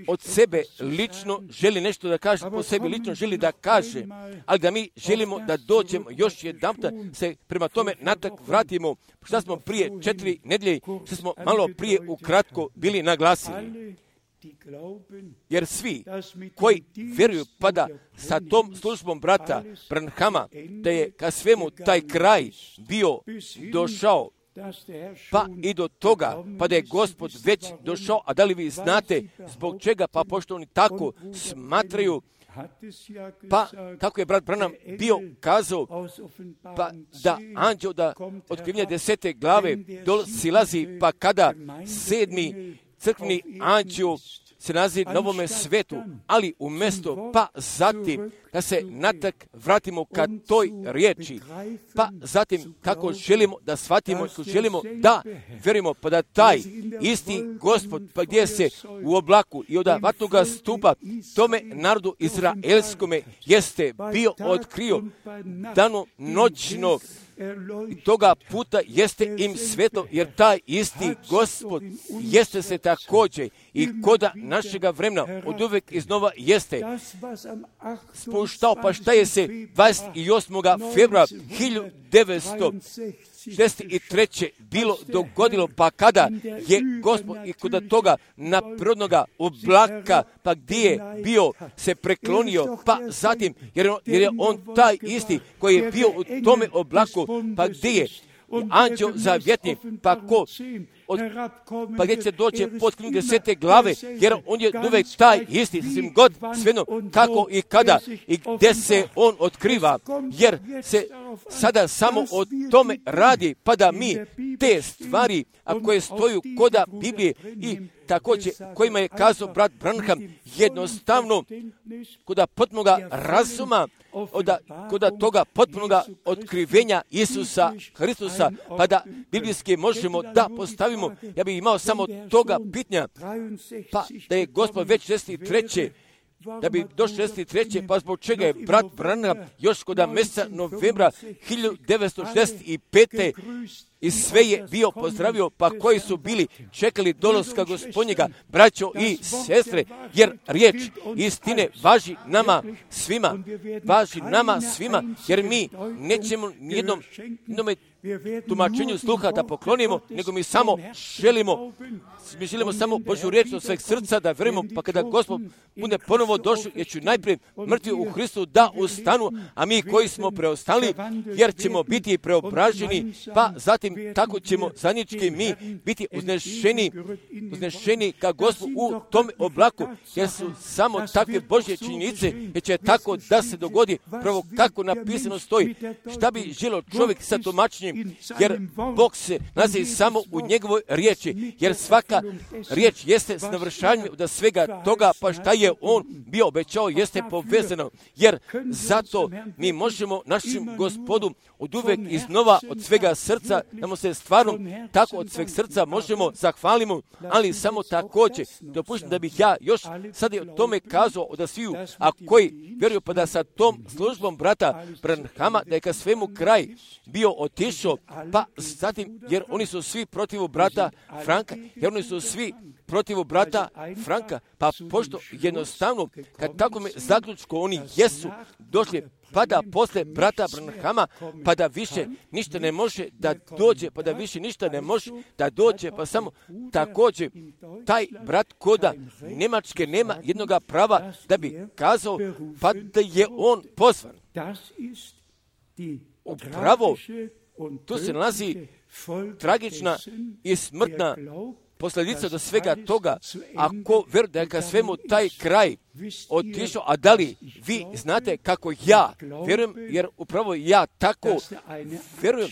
od sebe lično želi nešto da kaže, po sebi lično želi da kaže, ali da mi želimo da dođemo još jedan puta, se prema tome natak vratimo, što smo prije 4 nedelje, što smo malo prije ukratko bili naglasili. Jer svi koji vjeruju, pa da sa tom službom brata Branhama, da je ka svemu taj kraj bio došao, pa i do toga, pa da je Gospod već došao, a da li vi znate zbog čega, pa pošto oni tako smatraju, pa kako je brat Branham bio kazao, pa da anđeo da otkrivenja 10. glave silazi, pa kada 7. crkveni anđeo se nalazi na ovome svetu, ali umjesto, pa zatim da se natak vratimo ka toj riječi, pa zatim kako želimo da shvatimo, kako želimo da vjerujemo, pa da taj isti Gospod, pa gdje se u oblaku i od vatnoga stupa tome narodu izraelskome jeste bio otkrio dano noćno, i toga puta jeste im sveto, jer taj isti Gospod jeste se također i koda našega vremena od uvek iznova jeste spuštao, pa šta je se 28. februara 1963. bilo dogodilo, pa kada je Gospod i kod toga naprodnoga oblaka, pa gdje je bio se preklonio, pa zatim, jer je on taj isti koji je bio u tome oblaku, pa gdje je anđeo zavjetni, pa gdje će doći pod knjigu 10. glave, jer on je uvek taj isti, svim god sveno kako i kada i gdje se on otkriva, jer se sada samo o tome radi, pa da mi te stvari, a koje stoju koda Biblije i također kojima je kazao brat Branham, jednostavno koda potpunoga razuma, koda toga potpunoga otkrivenja Isusa Hristusa, pa da biblijski možemo da postavimo. Ja bih imao samo toga pitanja, pa da je Gospod već 63. da bi došli 63. pa zbog čega je brat Branham još kod mjeseca novembra 1965. i sve je bio pozdravio, pa koji su bili čekali dolaska Gospodnjega, braćo i sestre, jer riječ istine važi nama svima, jer mi nećemo nijednom tumačenju sluha da poklonimo, nego mi samo želimo samo Božju riječ od sveg srca da vjerujemo, pa kada Gospod bude ponovo došao, jer ću najprije mrtvi u Hristu da ustanu, a mi koji smo preostali, jer ćemo biti preobraženi, pa zatim tako ćemo zajednički mi biti uznešeni ka Gospodu u tom oblaku, jer su samo takve Božje činjenice, jer će tako da se dogodi, pravo kako napisano stoji. Šta bi želio čovjek sa tumačenjem jer Bog se nalazi samo u njegovoj riječi, jer svaka riječ jeste s navršanjem od svega toga, pa šta je on bio obećao jeste povezano, jer zato mi možemo našim Gospodu od uvek iznova od svega srca, da mu se stvarno tako od sveg srca možemo zahvalimo, ali samo također dopuštam da bih ja još sad o tome kazao od sviju, a koji vjeruju pa da sa tom službom brata Branhama da je ka svemu kraj bio otišao, pa zatim jer oni su svi protiv brata Franka, jer oni su svi protiv brata Franka, pa pošto jednostavno kad tako me zaključko oni jesu došli, pa da posle brata Branhama, pa da više ništa ne može da dođe, pa da više ništa ne može da dođe, pa samo također taj brat koda Njemačke nema jednoga prava da bi kazao, pa da je on pozvan. Upravo, tu se nalazi tragična i smrtna posljedica do svega toga, ako vjeruje da je ka svemu taj kraj otišao, a da li vi znate kako ja vjerujem, jer upravo ja tako vjerujem,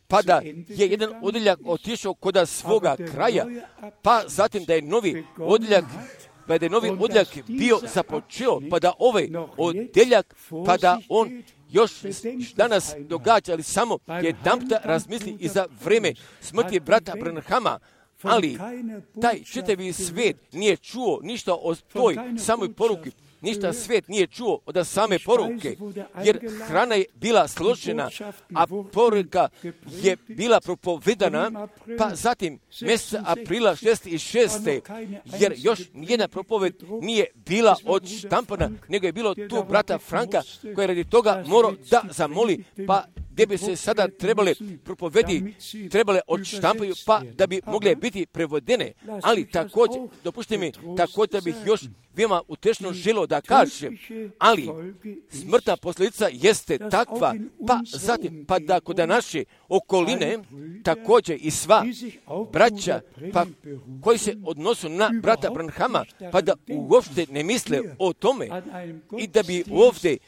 pa da je jedan odjeljak otišao kod svoga kraja, pa zatim da je novi odjeljak bio započeo, pa da ovaj odjeljak, pa da on još danas događa, ali samo jedanputa razmisli i za vreme smrti brata Branhama, ali taj čitavi svijet nije čuo ništa o toj samoj poruki, ništa svijet nije čuo od same poruke, jer hrana je bila složena, a poruka je bila propovedana, pa zatim mjeseca aprila 66. jer još nijedna propoved nije bila odštampana, nego je bilo tu brata Franka koji je radi toga morao da zamoli, pa gdje bi se sada trebale propovedi, trebale odštampaju, pa da bi mogle biti prevodene, ali također, dopušte mi, također da bih još veoma utešno želio da kažem, ali smrtna posljedica jeste takva, pa zatim, pa da kod naše okoline, također i sva braća, pa koji se odnosu na brata Branhama, pa da uopšte ne misle o tome i da bi ovdje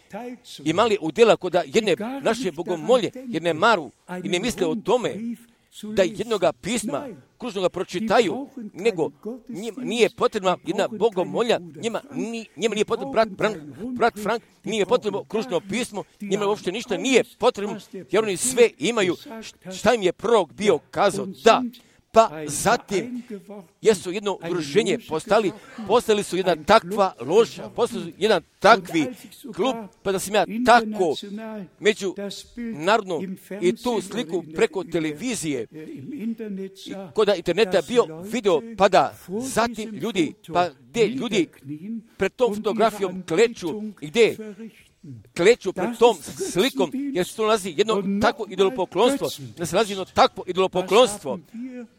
imali udjela kod jedne naše bogomolje, jer ne maru i ne misle o tome da jednoga pisma kružnoga pročitaju, nego njima nije potrebna jedna bogomolja, njima nije potrebno brat Frank, nije potrebno kružno pismo, njima uopšte ništa nije potrebno, jer oni sve imaju šta im je prorok bio kazao, da. Pa zatim jesu jedno udruženje postali su jedna takva loža, postali su jedan takvi klub, pa da sam ja tako među narodno i tu sliku preko televizije i kod interneta bio video, pa da zatim ljudi, pa gdje ljudi pred tom fotografijom kleču i gdje kleću pred tom slikom, jer se to nalazi jedno takvo idolopoklonstvo, da se nalazi jedno takvo idolopoklonstvo.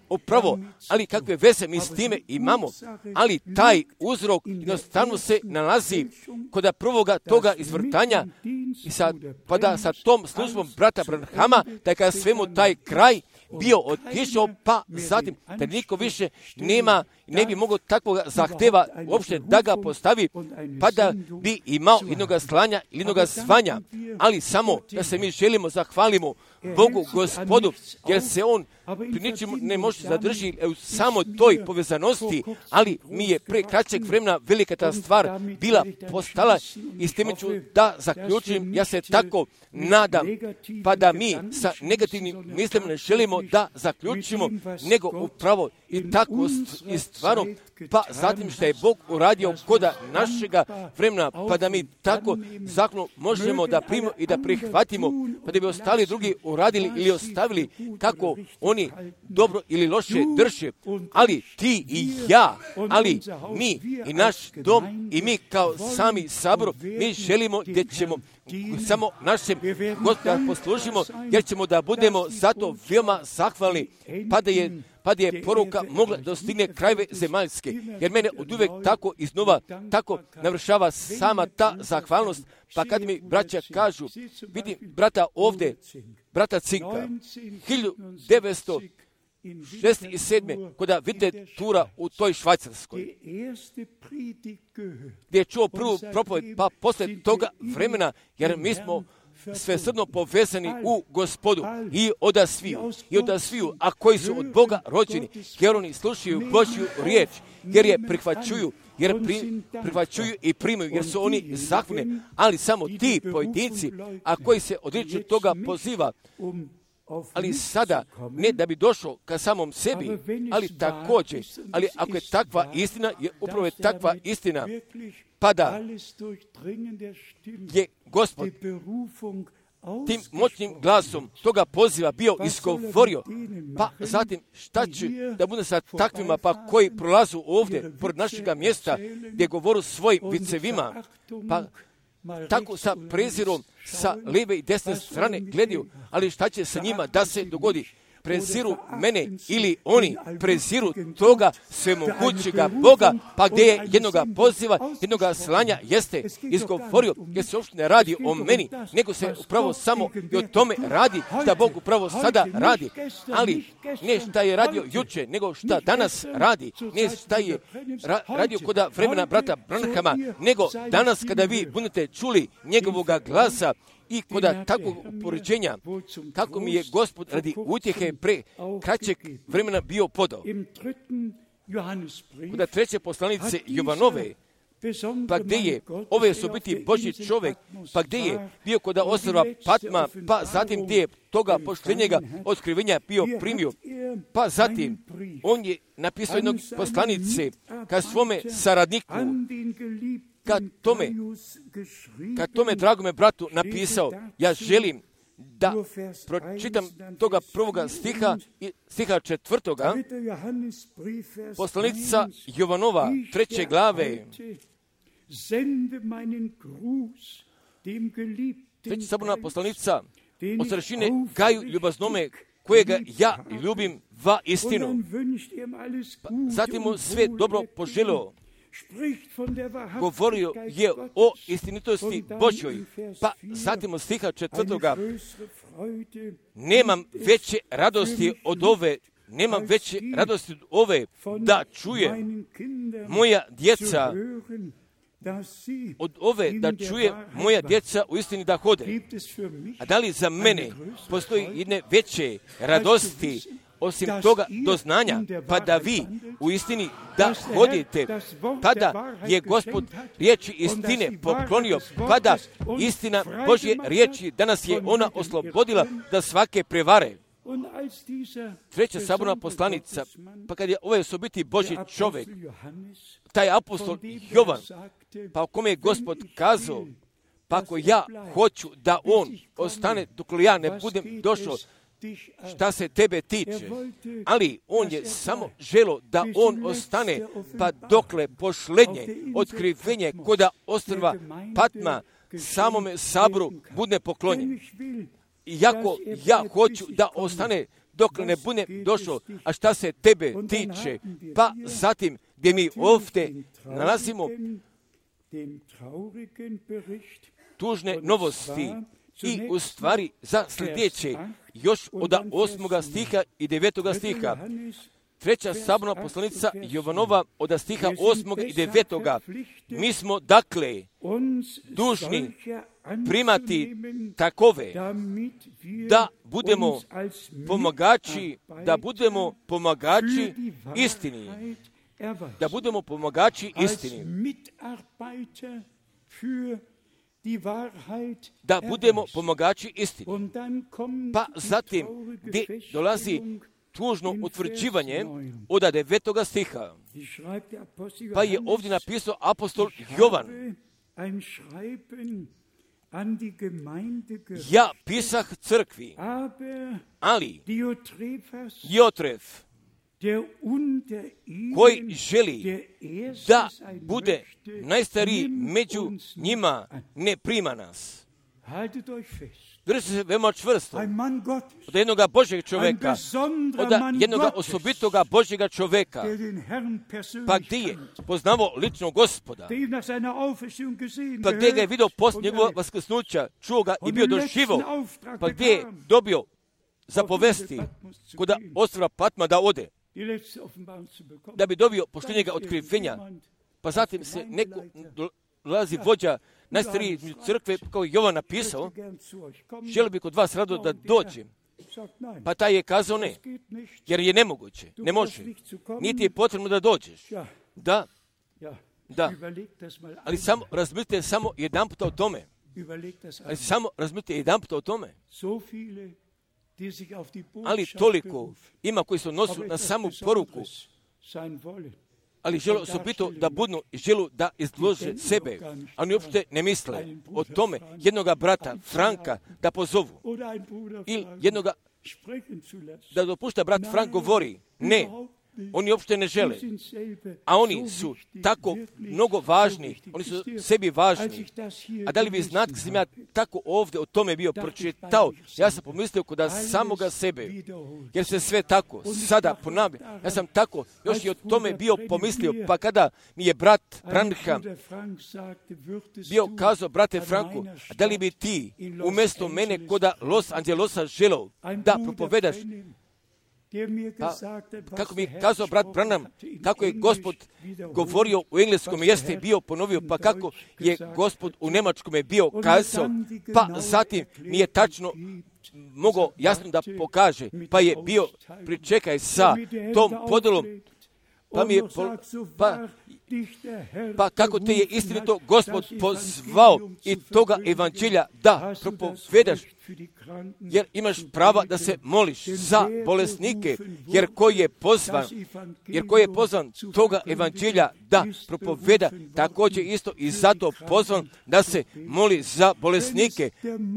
Upravo, ali kakve veze mi s time imamo, ali taj uzrok jednostavno se nalazi kod prvoga toga izvrtanja i pa da sa tom službom brata Branhama, da je kada svemu taj kraj bio otišao, pa zatim da niko više ne bi mogao takvog zahteva uopšte da ga postavi, pa da bi imao jednoga slanja ili jednoga zvanja, ali samo da se mi želimo zahvalimo Bogu Gospodu, jer se on pri ničemu ne može zadržiti u samo toj povezanosti, ali mi je pre kraćeg vremena velika ta stvar bila postala i s time ću da zaključim, ja se tako nadam, pa da mi sa negativnim mislima ne želimo da zaključimo, nego upravo i tako i stvarno, pa zatim što je Bog uradio koda našega vremena, pa da mi tako zakon možemo da primimo i da prihvatimo, pa da bi ostali drugi uradili ili ostavili kako oni dobro ili loše drže, ali ti i ja, ali mi i naš dom i mi kao sami sabor, mi želimo gdje ćemo samo našem Gospoda poslužimo, jer ćemo da budemo zato veoma zahvalni, pa da je poruka mogla da stigne krajeve zemaljske, jer mene od uvek tako iznova, tako navršava sama ta zahvalnost, pa kad mi braća kažu, vidim brata ovdje, brata Cinka, 1967. kada vidite tura u toj Švajcarskoj, gdje je čuo prvu propoved, pa posle toga vremena, jer mi smo svesrdno povezani u Gospodu i odasviju, a koji su od Boga rođeni, jer oni slušaju Božju riječ, jer je prihvaćuju i primaju, jer su oni zahvalni, ali samo ti pojedinci, a koji se odriču toga poziva, ali sada ne da bi došao ka samom sebi, ali također, ali ako je takva istina, je upravo je takva istina, pa da je Gospod tim moćnim glasom toga poziva bio izgovorio, pa zatim šta će da bude sa takvima pa koji prolazu ovdje pored našega mjesta gdje govoru svojim vicevima, pa tako sa prezirom sa lijeve i desne strane gledaju, ali šta će sa njima da se dogodi? Preziru mene ili oni preziru toga svemogućega Boga, pa gdje je jednoga poziva, jednoga slanja jeste izgovorio, jer se uopšte ne radi o meni, nego se upravo samo i o tome radi šta Bog upravo sada radi, ali ne šta je radio juče, nego šta danas radi, ne šta je radio kod vremena brata Branhama, nego danas kada vi budete čuli njegovoga glasa, i kod takvog upoređenja, kako mi je Gospod radi utjehe pre kraćeg vremena bio podao. Kod treće poslanice Jovanove, pa gdje je, ove su biti Božji čovjek, pa gdje je bio kod ostrva Patma, pa zatim gdje je toga poštenjega otkrivenja bio primio, pa zatim on je napisao jednog poslanice ka svome saradniku, kad tome dragome bratu napisao, ja želim da pročitam toga prvoga stiha i stiha 4. Poslanica Jovanova, 3. glave, 3. saborna poslanica od sršine Gaju ljubaznome, kojega ja ljubim va istinu. Zatim mu sve dobro poželio, govorio je o istinitosti Božjoj, pa zatim od stiha 4. Nemam veće radosti od ove, da čuje moja djeca, u istini da hode. A da li za mene postoji jedne veće radosti osim toga doznanja, pa da vi u istini da hodite, pa da je Gospod riječi istine poklonio, pa da istina Božje riječi danas je ona oslobodila da svake prevare. Treća saborna poslanica, pa kad je ovaj osobiti Božji čovjek, taj apostol Jovan, pa o kome je Gospod kazao, pa ako ja hoću da on ostane dok ja ne budem došao, šta se tebe tiče, ali on je samo želo da on ostane, pa dokle pošlednje otkrivenje koda ostrva Patma samome saboru bude poklonjen. Iako ja hoću da ostane dokle ne bude došao, a šta se tebe tiče, pa zatim gdje mi ovdje nalazimo tužne novosti i u stvari za sljedeće još od 8. stiha i 9. stiha. Treća saborna poslanica Jovanova od stiha 8. i 9. Mi smo dakle dužni primati takove da budemo pomagači istini. Da budemo pomagači istini. Da budemo pomagači istini. Pa zatim gdje dolazi tužno utvrđivanje od 9. stiha. Pa je ovdje napisao apostol Jovan. Ja pisah crkvi, ali Diotref, koji želi da bude najstariji među njima, ne prima nas. Držite se veoma čvrsto od jednoga Božjeg čovjeka, od jednoga osobitoga Božjega čovjeka, pa gdje je poznavao lično Gospoda, pa gdje ga je vidio poslije njegovog vaskrsnuća, čuo ga i bio doživo, pa gdje je dobio zapovesti kod ostrva Patma da ode, da bi dobio pošto njega otkrivenja, pa zatim se neko dolazi vođa najstariji crkve, kao Jovan napisao, želio bi kod vas rado da dođem. Pa taj je kazao ne, jer je nemoguće, ne može. Niti je potrebno da dođeš. Da, ali samo razmislite samo jedan puta o tome. Ali toliko ima koji se odnosu na samu poruku, ali žele su pitao da budnu i želu da izlože sebe, a oni uopšte ne misle o tome jednoga brata Franka da pozovu ili jednoga da dopušta brat Frank govori. Ne, oni uopšte ne žele, a oni su tako mnogo važni, oni su sebi važni. A da li vi znate, kad sam ja tako ovdje o tome bio pročitao, ja sam pomislio kod samoga sebe, jer se sve tako sada ponavlja. Ja sam tako još i o tome bio pomislio, pa kada mi je brat Branham bio kazao, brate Franku, a da li bi ti umjesto mene kod Los Angelesa želeo da propovedaš? Pa, kako mi je kazao brat Branham, kako je Gospod govorio u engleskom jeste bio ponovio, pa kako je Gospod u njemačkom je bio kazao, pa zatim mi je tačno mogao jasno da pokaže, pa je bio pričekaj sa tom podelom, pa mi je pa kako te je istinito Gospod pozvao i toga evanđelja da propovedaš, jer imaš prava da se moliš za bolesnike, jer koji je pozvan toga evanđelja da propoveda, također isto i zato pozvan da se moli za bolesnike.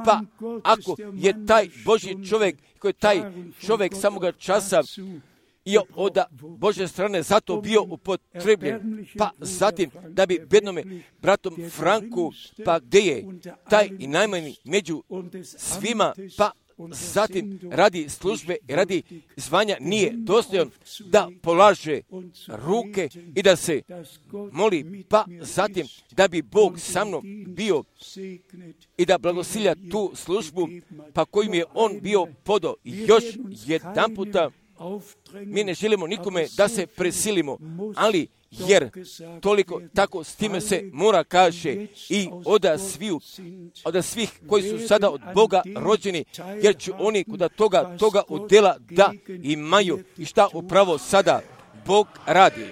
Pa ako je taj Božji čovjek, koji je taj čovjek samoga časa i od Božje strane zato bio upotrebljen, pa zatim da bi bednome bratom Franku, pa gdje je taj i najmanji među svima, pa zatim radi službe i radi zvanja nije dostojan da polaže ruke i da se moli, pa zatim da bi Bog sa mnom bio i da blagosilja tu službu, pa kojim je on bio podao. Još jedan puta, mi ne želimo nikome da se presilimo, ali jer toliko tako s time se mora kaže i od svih koji su sada od Boga rođeni, jer će oni kod toga udjela da imaju i šta upravo sada Bog radi.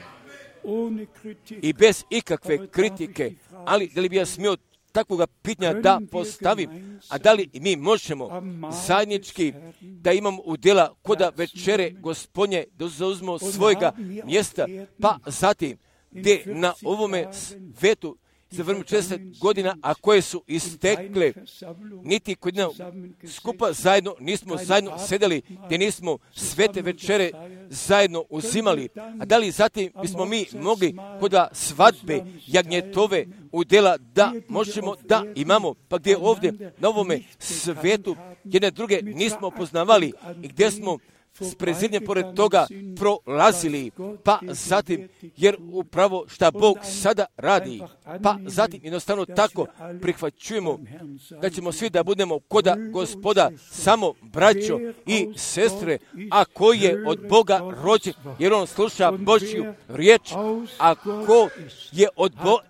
I bez ikakve kritike, ali da li bi ja smio takvoga pitanja da postavim, a da li mi možemo zajednički da imamo udjela koda večere Gospodnje, da zauzmemo svojega mjesta, pa zatim gdje na ovome svetu za vreme 40 godina, a koje su istekle, niti kod skupa zajedno nismo zajedno sedeli, gdje nismo svete večere zajedno uzimali. A da li zatim bismo mi mogli kod svadbe jagnjetove udjela da možemo da imamo, pa gdje ovdje na ovome svetu jedne druge nismo poznavali i gdje smo s prezidnjem pored toga prolazili, pa zatim, jer upravo šta Bog sada radi, pa zatim jednostavno tako prihvaćujemo da ćemo svi da budemo koda Gospoda, samo braćo i sestre, a koji je od Boga rođen, jer on sluša Božju riječ, a ko je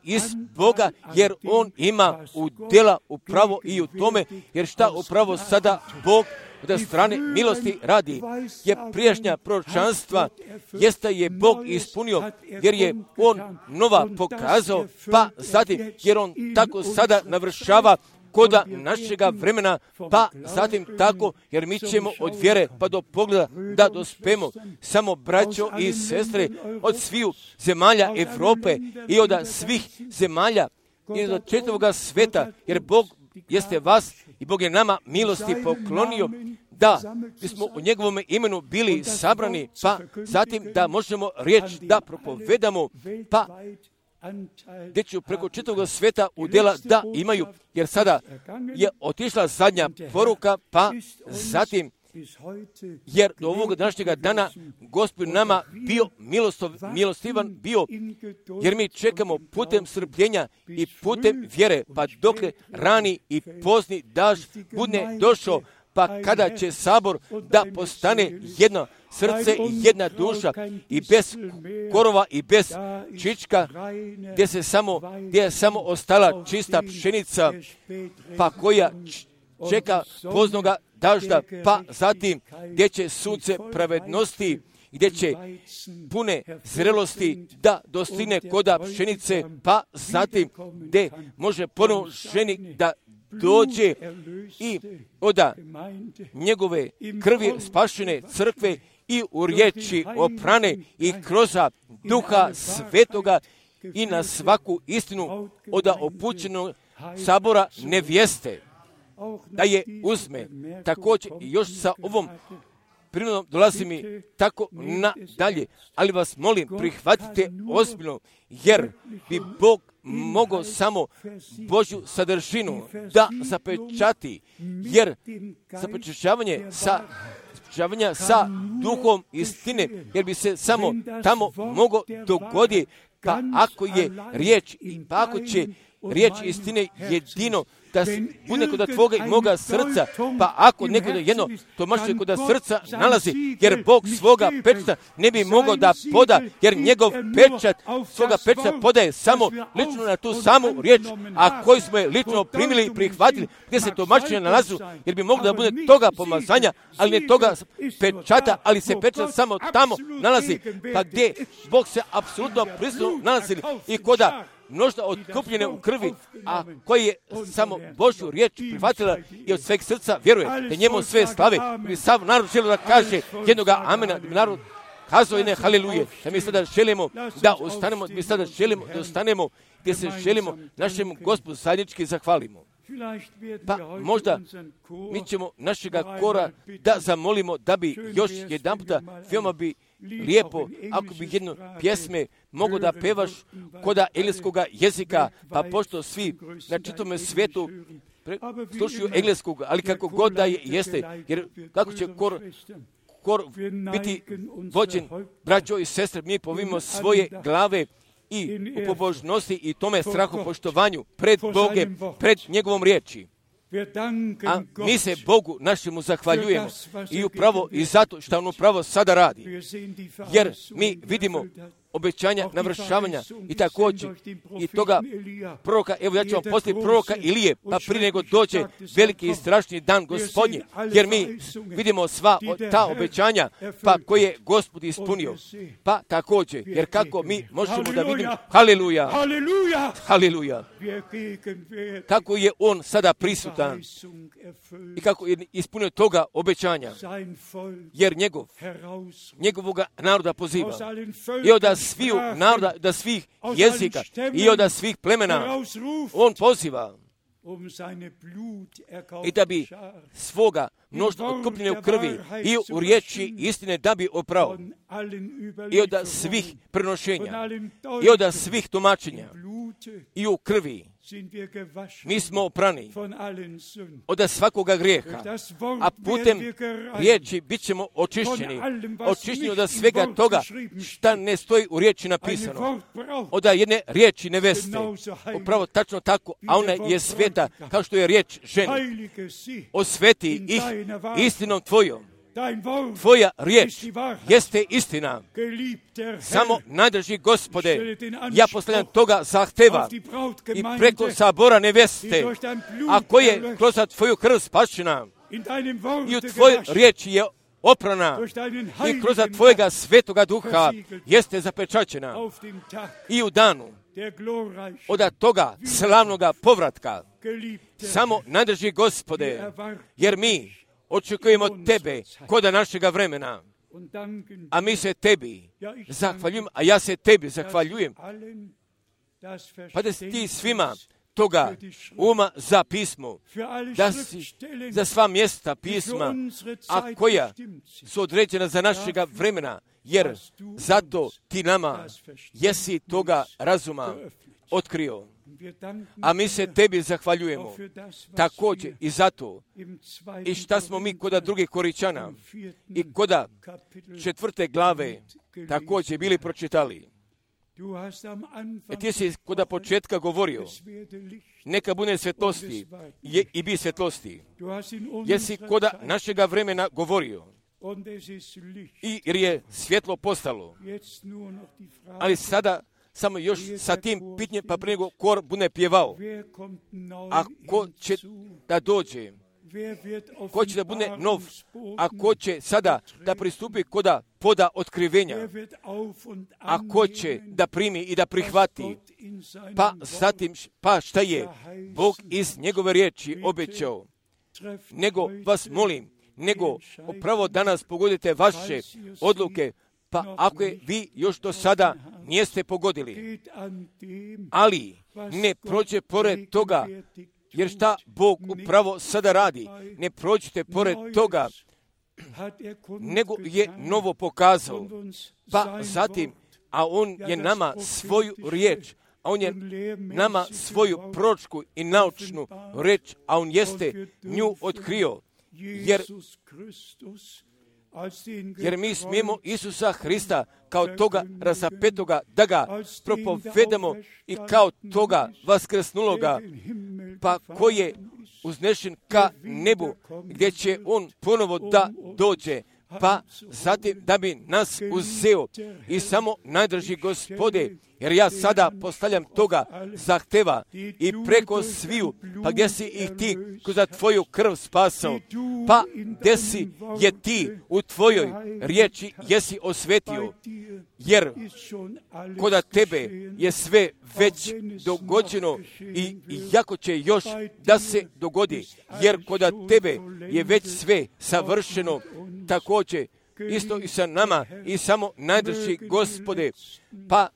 iz Boga, jer on ima udjela upravo i u tome, jer šta upravo sada Bog od strane milosti radi, je prijašnja proročanstva, jeste je Bog ispunio, jer je on nova pokazao, pa zatim, jer on tako sada navršava koda našega vremena, pa zatim tako, jer mi ćemo od vjere pa do pogleda da dospemo, samo braćo i sestre od sviju zemalja Evrope i od svih zemalja i od čitavoga sveta, jer Bog jeste vas i Bog je nama milosti poklonio da bismo u njegovom imenu bili sabrani, pa zatim da možemo riječ da propovedamo, pa gdje ću preko čitavog sveta udjela da imaju, jer sada je otišla zadnja poruka, pa zatim jer do ovog današnjega dana Gospod nama bio milostivan bio, jer mi čekamo putem strpljenja i putem vjere, pa dokle rani i pozni daž bude došao, pa kada će sabor da postane jedno srce i jedna duša i bez korova i bez čička, gdje je samo ostala čista pšenica, pa koja čeka poznoga dažda, pa zatim gdje će sunce pravednosti, gdje će pune zrelosti da dostigne koda pšenice, pa zatim gdje može ponovo ženi da dođe i oda njegove krvi spašene crkve i u riječi oprane i kroz Duha Svetoga i na svaku istinu oda opućenog sabora nevjeste, da je uzme. Također još sa ovom prirodom dolazi mi tako nadalje, ali vas molim, prihvatite ozbiljno, jer bi Bog mogao samo Božju sadržinu da zapečati, jer zapečaćavanje sa duhom istine, jer bi se samo tamo moglo dogoditi, pa ako je riječ, pa ako će riječ istine jedino da bude kod tvoga i moga srca, pa ako neko da jedno tumačenje kod srca nalazi, jer Bog svoga pečata ne bi mogao da poda, jer njegov pečat, svoga pečata podaje samo lično na tu samu riječ, a koji smo je lično primili i prihvatili, gdje se tumačenje nalazu, jer bi moglo da bude toga pomazanja, ali ne toga pečata, ali se pečat samo tamo nalazi, pa gdje Bog se apsolutno prisutno nalazi i koda množda otkupljene u krvi, a koji je samo Božju riječ prihvatila i od sveg srca vjeruje, da njemu sve slave, bi sav narod želio da kaže jednoga amena, da bi narod kazao jedne haliluje, da mi sada želimo da ostanemo, mi sada želimo da ostanemo gdje se želimo našemu Gospodu zajednički zahvalimo. Pa možda mi ćemo našega kora da zamolimo da bi još jedan puta veoma bi lijepo, ako bi jednu pjesme mogo da pevaš koda engleskog jezika, pa pošto svi na čitome svijetu slušaju engleskog, ali kako god da jeste, jer kako će kor biti vođen, braćo i sestre, mi povimo svoje glave i u pobožnosti i tome strahu poštovanju pred Bogem, pred njegovom riječi. A mi se Bogu našemu zahvaljujemo i upravo i zato što on upravo sada radi. Jer mi vidimo obećanja navršavanja i također i toga proroka, evo ja ću vam postaviti proroka Ilije, pa prije nego dođe veliki i strašni dan Gospodnje, jer mi vidimo sva ta obećanja, pa koje je Gospod ispunio. Pa također, jer kako mi možemo da vidimo, haleluja, haleluja, kako je on sada prisutan i kako je ispunio toga obećanja, jer njegovoga naroda poziva i od sviju naroda, da svih jezika i od svih plemena on poziva i da bi svoga mnoštva otkupljene u krvi i u riječi istine da bi oprao i od svih prenošenja i od svih tumačenja i u krvi mi smo oprani od svakoga grijeha, a putem riječi bit ćemo očišćeni od svega toga šta ne stoji u riječi napisano, od jedne riječi neveste, upravo tačno tako, a ona je sveta kao što je riječ ženi. Osveti ih istinom tvojom. Tvoja riječ jeste istina. Samo najdrži Gospode, ja postavljam toga zahteva i preko sabora neveste, a koje kroz tvoju krv spašena i u tvojoj riječi je oprana i kroz tvojega svetoga duha jeste zapečaćena i u danu od toga slavnoga povratka. Samo najdrži Gospode, jer mi očekujemo tebe koda našega vremena, a mi se tebi zahvaljujemo, a ja se tebi zahvaljujem. Pa da si ti svima toga uma za pismo, da si za sva mjesta pisma, a koja su određena za našega vremena, jer zato ti nama jesi toga razuma otkrio. A mi se tebi zahvaljujemo također i zato i šta smo mi koda drugih Koričana i koda 4. glave također bili pročitali. Ti si kod početka govorio, neka bude svjetlosti i bi svjetlosti. Jer si kod našega vremena govorio. I jer je svjetlo postalo. Ali sada samo još sa tim pitanjem pa prije nego kor bude pjevao. A ko će da dođe? Ko će da bude nov? A ko će sada da pristupi koda poda otkrivenja? A ko će da primi i da prihvati? Pa zatim, pa šta je Bog iz njegove riječi obećao? Nego vas molim, nego upravo danas pogodite vaše odluke, pa ako je vi još do sada niste pogodili, ali ne prođe pored toga, jer šta Bog upravo sada radi, ne prođite pored toga, nego je novo pokazao, pa zatim, a On je nama svoju riječ, a On je nama svoju proročku i naučnu riječ, a On jeste nju otkrio, jer mi smijemo Isusa Hrista kao toga razapetoga da ga propovedamo i kao toga vaskrsnuloga, pa koji je uznešen ka nebu, gdje će On ponovo da dođe, pa zatim da bi nas uzeo i samo najdrži Gospode, jer ja sada postavljam toga zahteva i preko sviju, pa gdje si ih ti za tvoju krv spasao, pa gdje si je ti u tvojoj riječi jesi osvetio, jer koda tebe je sve već dogođeno i jako će još da se dogodi, jer koda tebe je već sve savršeno, također isto i sa nama i samo najdrži Gospode, pa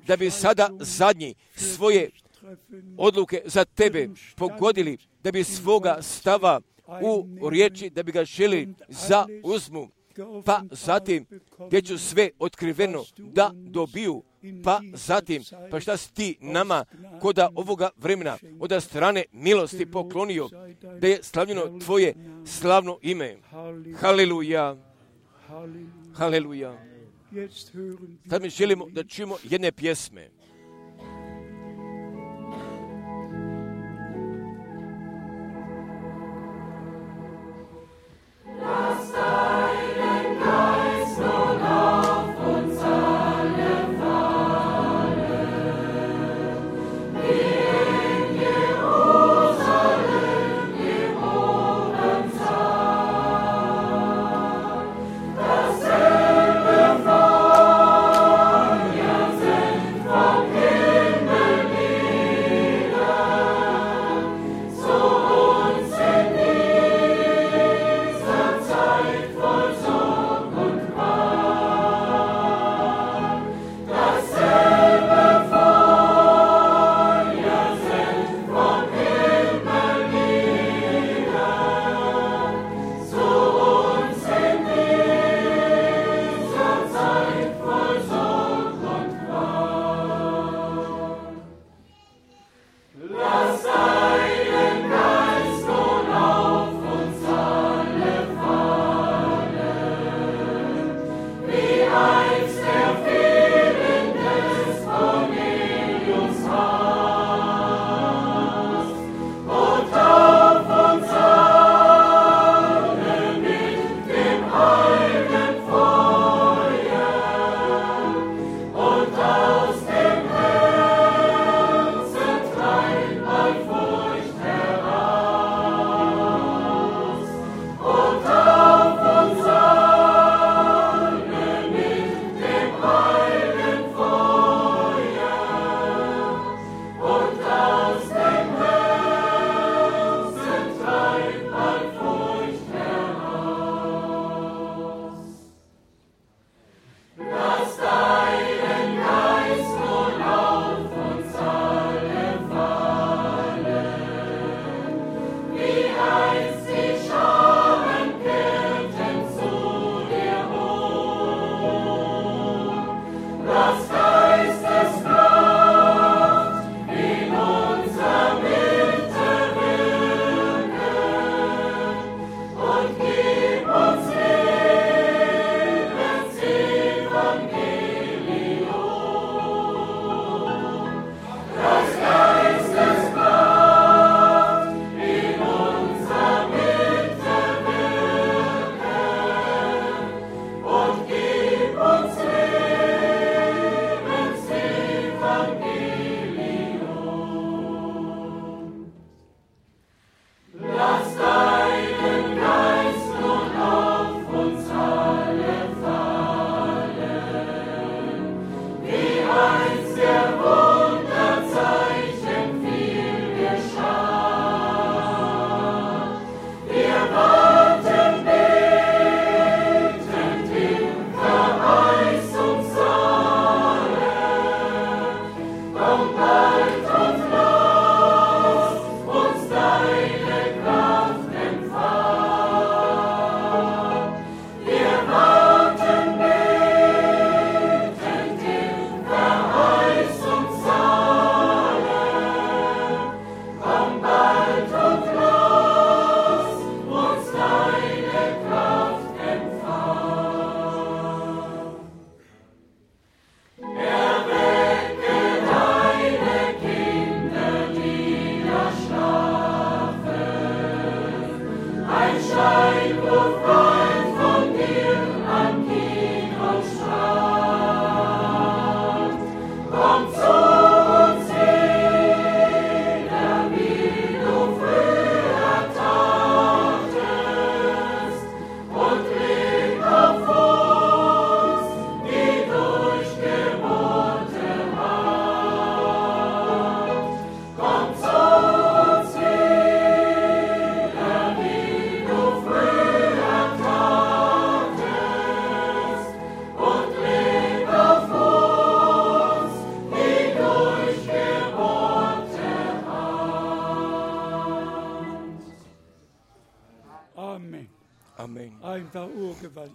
da bi sada zadnji svoje odluke za tebe pogodili, da bi svoga stava u riječi, da bi ga želi za uzmu, pa zatim gdje ću sve otkriveno da dobiju, pa zatim, pa šta si ti nama koda ovoga vremena od strane milosti poklonio, da je slavljeno tvoje slavno ime. Haleluja, haleluja. Sad mi želimo da čujemo jedne pjesme. Von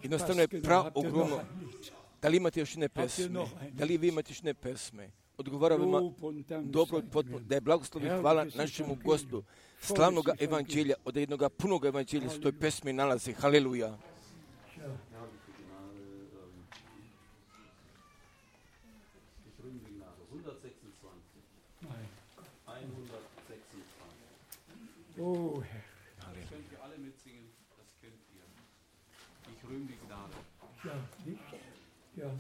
Jednostavno je ogromno. Da li imate još jedne pesme? Da li vi imate još jedne pesme? Odgovaramo dobro, da je blagoslov i hvala našemu Gospodu, slavnog evanđelja, od jednog punog evanđelja se u toj pesmi nalazi. Haleluja. Oh, Herr. Das könnt ihr alle mitsingen, das könnt ihr. Ich rühme die Gnade. Ja, nicht? Ja.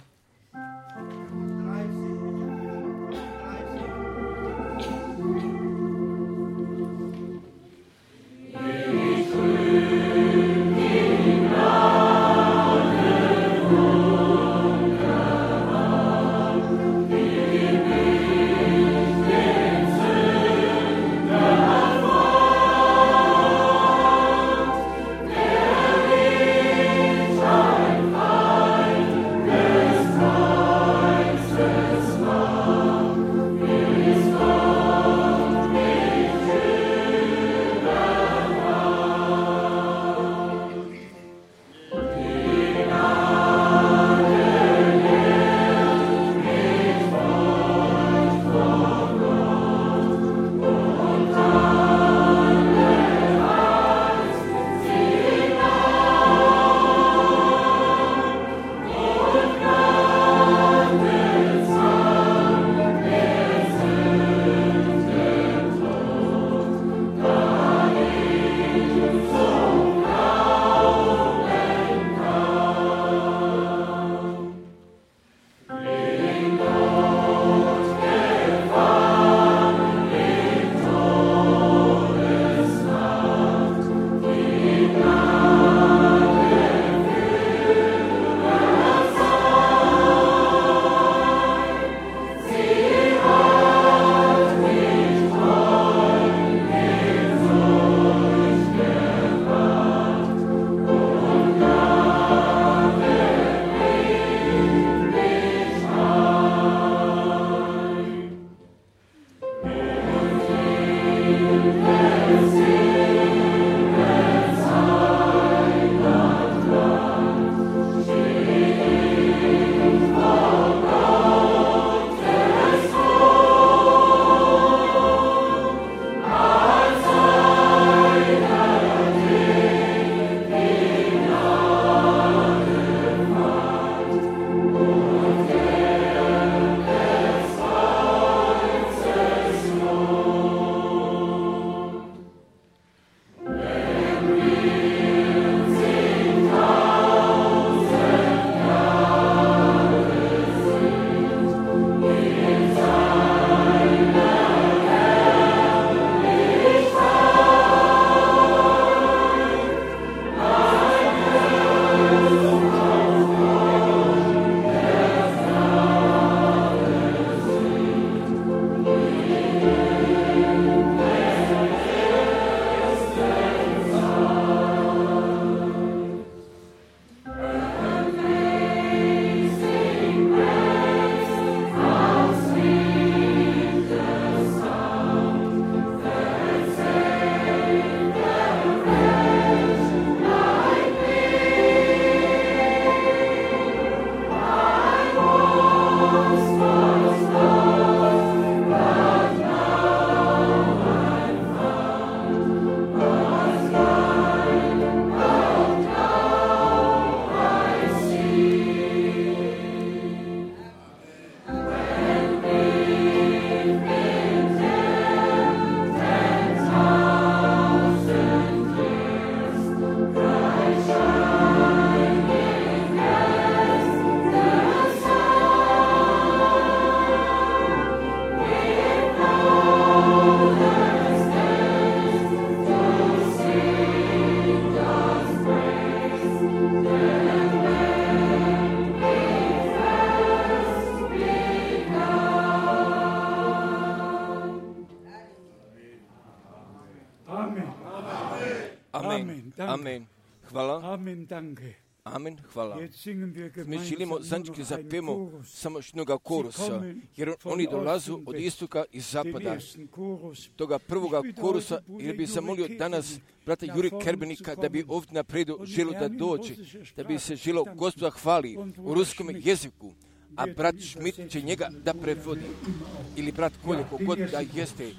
アメン。Hvala. Amen, danke. Amen, hvala. Mi želimo zajednički zapijemo samo jednoga korusa, jer oni dolazu od istoka i zapada. Toga prvoga korusa, jer bi zamolio danas brata Juri Kerbenika da bi ovdje napredu želio da dođe, da bi se želio Gospoda hvali u ruskom jeziku, a brat Schmidt će njega da prevodi. Ili brat Kolje, kogod da jeste.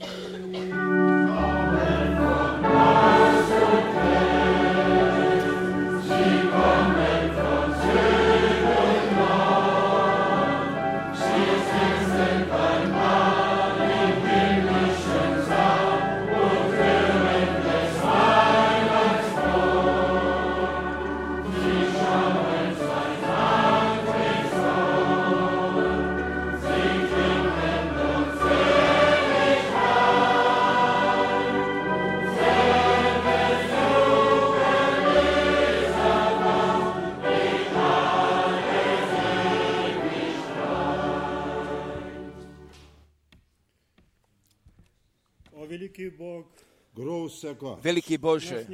Veliki Bože,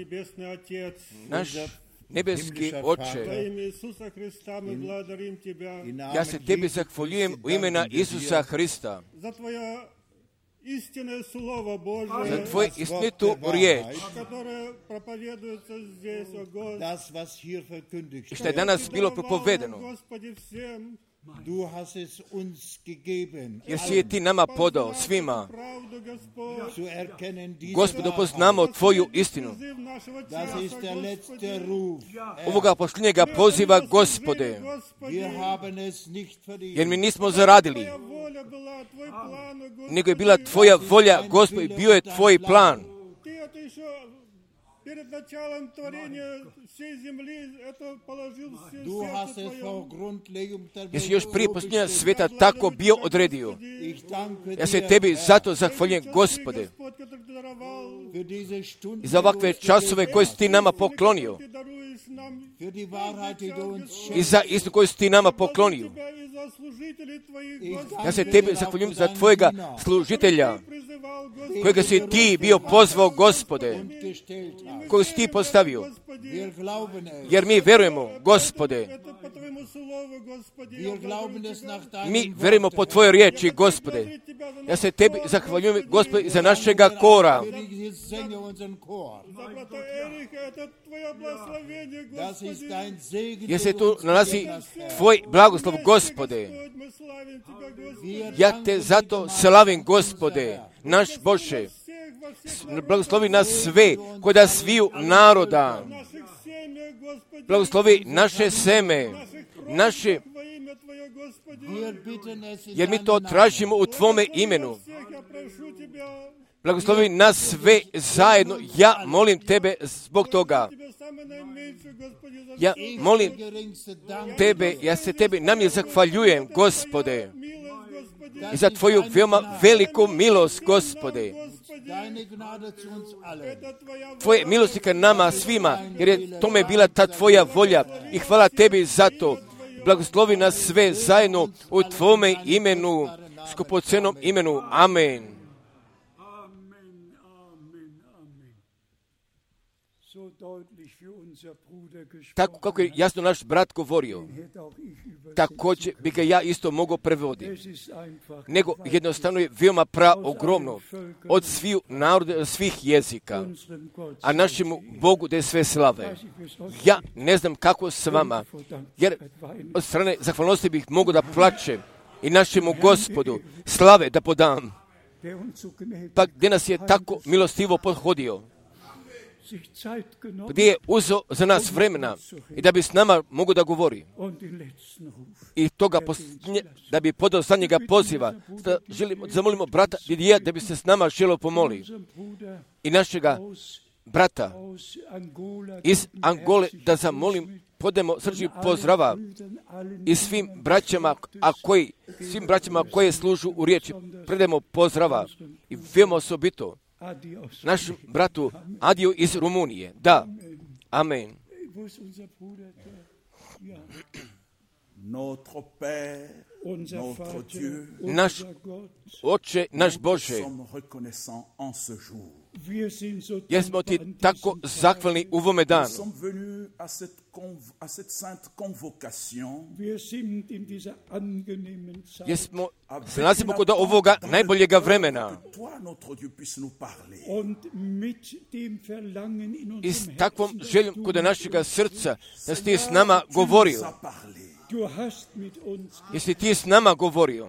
naš nebeski Oče, ja se Tebi zahvaljujem u imena Isusa Hrista za Tvoju istinitu riječ i što je danas bilo propovedeno. Jer si je Ti nama podao svima, Gospodu, poznamo Tvoju istinu. Ovoga posljednjega poziva, Gospode, jer mi nismo zaradili, nego je bila Tvoja volja, Gospode, bio je Tvoj plan. Jesi još prije posljednja svijeta tako bio odredio. Ja se Tebi zato zahvaljujem, Gospode, i za ovakve časove koje si Ti nama poklonio, i za istinu koju si Ti nama poklonio. Ja se Tebi zahvaljujem za Tvojega služitelja, kojega si Ti bio pozvao, Gospode, kojeg si Ti postavio. Jer mi verujemo, Gospode, mi verujemo po Tvojoj riječi, Gospode. Ja se Tebi zahvaljujem, Gospode, za našega kora. Jer se tu nalazi Tvoj blagoslov, Gospode. Ja Te zato slavim, Gospode, naš Bože. Blagoslovi nas sve, kod da sviju naroda. Blagoslovi naše seme, naše, jer mi to tražimo u Tvome imenu. Blagoslovi nas sve zajedno. Ja molim Tebe zbog toga. Ja molim Tebe, ja se Tebi namjer zahvaljujem, Gospode, i za Tvoju veoma veliku milost, Gospode. Tvoje milosti ka nama svima, jer je tome bila ta Tvoja volja i hvala Tebi za to. Blagoslovi nas sve zajedno u Tvome imenu, skupocenom imenu. Amen. Tako kako je jasno naš brat govorio, također bi ga ja isto mogao prevoditi. Nego jednostavno je veoma ogromno od svih naroda, od svih jezika, a našemu Bogu da je sve slave. Ja ne znam kako s vama, jer od strane zahvalnosti bih mogao da plačem i našemu Gospodu slave da podam. Pa gdje nas je tako milostivo podhodio, gdje je uzeo za nas vremena i da bi s nama mogo da govori. I toga da bi podao za njega poziva. Zamolimo brata Didija da bi se s nama želio pomoli. I našega brata iz Angole da zamolim, podemo srčni pozdrava i svim braćama koje služu u riječi. Predajemo pozdrava i veoma osobito našem bratu Adiju iz Rumunije. Da. Amen. naš Oče, naš Bože, jer smo ti tako zahvalni u ovome danu. Jer se nalazimo kod ovoga najboljega vremena. I s takvom željom kod našega srca da si ti s nama govorio. Jesi ti s nama govorio.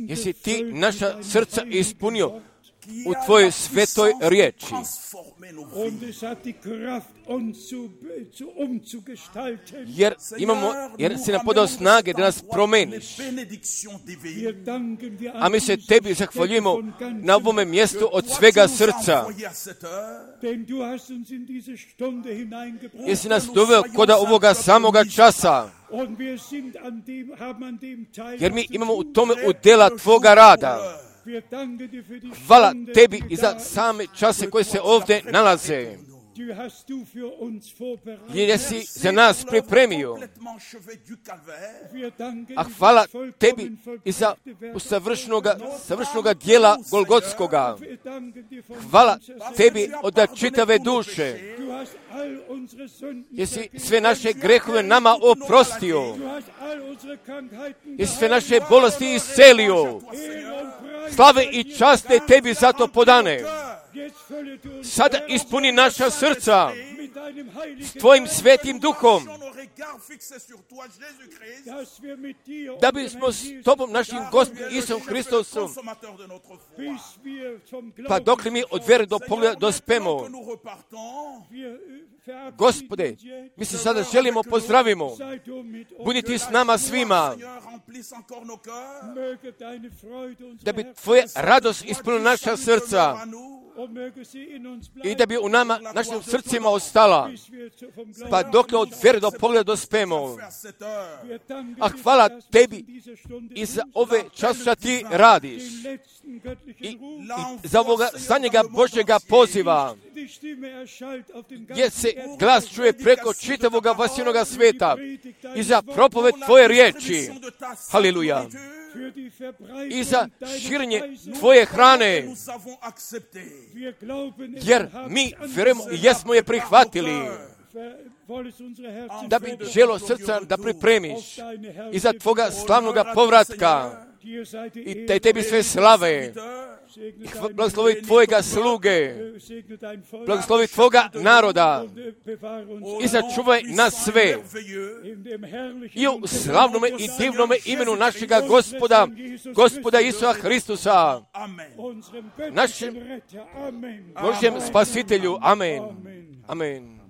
Jesi ti naša srca ispunio u tvojoj svetoj riječi. Jer si nam podao snage da nas promeniš. A mi se tebi zahvaljujemo na ovome mjestu od svega srca. Jer si nas doveo kod ovoga samoga časa. Jer mi imamo u tome udjela tvoga rada. Hvala tebi i za same čase koje se ovdje nalaze. Jer si za nas pripremio. A hvala tebi i za savršnoga dijela Golgotskoga. Hvala tebi od čitave duše. Jesi sve naše grehove nama oprostio. Jesi sve naše bolesti iscelio. Slave i časte tebi za to podane. Sada ispuni naša srca s tvojim svetim duhom, da bismo s tobom, našim Gospodom Isom Hristosom, pa dok li mi od vjere do pogleda dospemo. Gospode, mi se sada želimo, pozdravimo. Budi ti s nama svima, da bi tvoja radost ispunila naša srca i da bi u nama, našim srcima ostala, pa dok od vjere do pogleda dospemo. A hvala tebi i za ove časa ti radiš i za ovoga zadnjega Božjega poziva, gdje se glas čuje preko čitavoga vasjenoga sveta i za propoved tvoje riječi. Haleluja. I za širenje tvoje hrane, jer mi vjerujemo i jesmo je prihvatili, da bi želo srca da pripremiš i za tvoga slavnoga povratka i da tebi sve slave. Blagoslovi tvojega sluge, blagoslovi tvoga naroda i sačuvaj nas sve. I u slavnome i divnome imenu našega Gospoda Isusa Hristusa, našem Božjem spasitelju. Amen. Amen.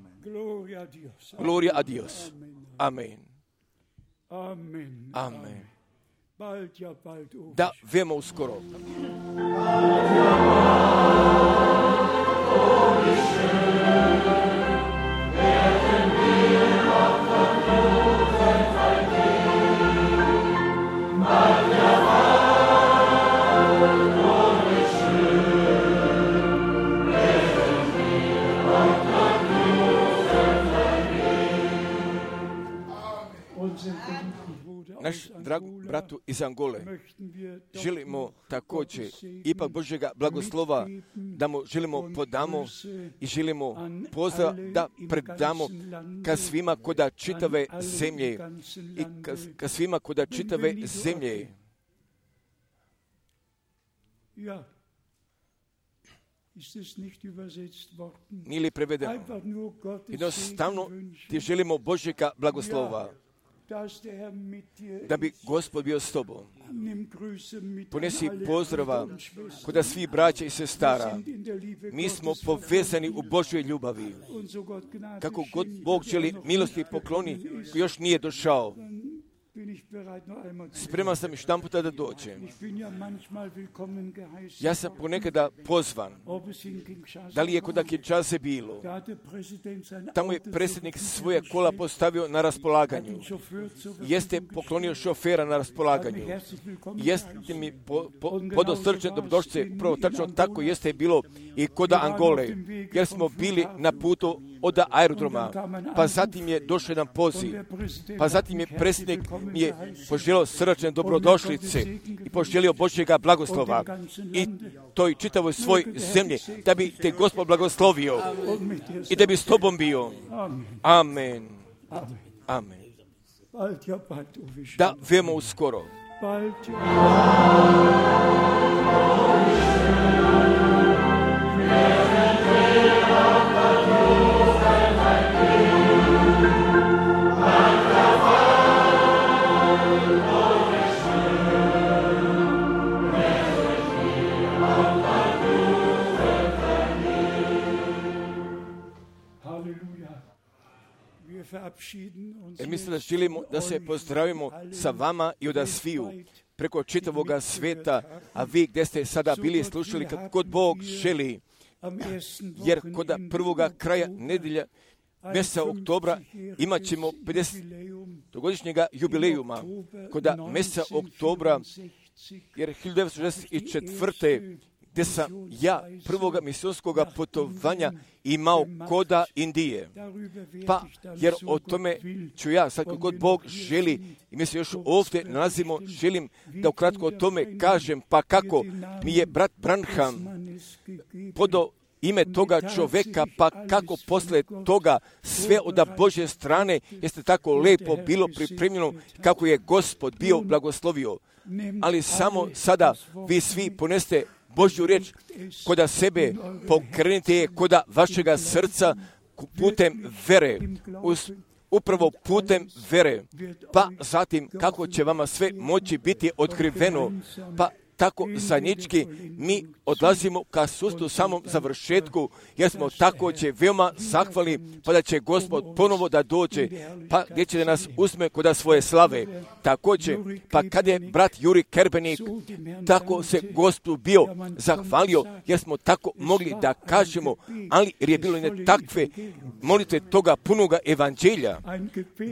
Gloria a Dios. Amen. Amen. Da, vemo uskoro. Naš drag bratu iz Angole želimo također ipak Božjega blagoslova da mu želimo podamo i želimo pozdrav da predamo ka svima koda čitave zemlje i ka svima koda čitave zemlje. Nije li prevedeno? Jednostavno ti želimo Božjega blagoslova, da bi Gospod bio s tobom. Ponesi pozdrava kod svih braća i sestara. Mi smo povezani u Božjoj ljubavi. Kako god Bog želi milosti pokloni, još nije došao. Spreman sam još jedan puta da dođem. Ja sam ponekada pozvan. Da li je kod Kinshase bilo? Tamo je predsjednik svoje kola postavio na raspolaganju. Jeste poklonio šofera na raspolaganju. Jeste mi podosrčne dobrodošlice. Prvo tačno tako jeste bilo i kod Angole. Jer smo bili na putu od aerodroma, pa zatim je došao jedan poziv, pa zatim je predsjednik mi je poželio srdačne dobrodošlice i poželio Božjega blagoslova i toj čitavoj svoj zemlji, da bi te Gospod blagoslovio i da bi s tobom bio. Amen. Amen. Da, veoma uskoro. Mislim da želimo da se pozdravimo sa vama i od sviju preko čitavoga sveta, a vi gdje ste sada bili slušali kad god Bog želi, jer kod prvoga kraja nedjelja mjeseca oktobra imat ćemo 50-godišnjega jubilejuma. Kod mjeseca oktobra, jer 1964. gdje sam ja prvoga misionskog putovanja imao koda Indije. Pa, jer o tome ću ja, sad kako god Bog želi, i mi se još ovdje nalazimo, želim da ukratko o tome kažem, pa kako mi je brat Branham podao ime toga čoveka, pa kako posle toga sve od Božje strane jeste tako lepo bilo pripremljeno, kako je Gospod bio blagoslovio. Ali samo sada vi svi poneste Božju riječ koda sebe, pokrenite je koda vašega srca putem vere, upravo putem vere, pa zatim kako će vama sve moći biti otkriveno, pa tako zajednički mi odlazimo ka sustu samom završetku, jer smo također veoma zahvalni, pa da će Gospod ponovo da dođe, pa gdje će da nas uzme koda svoje slave. Također, pa kad je brat Juri Kerbenik tako se Gospodu bio zahvalio, jer smo tako mogli da kažemo, ali jer je bilo i ne takve molitve toga punoga evanđelja,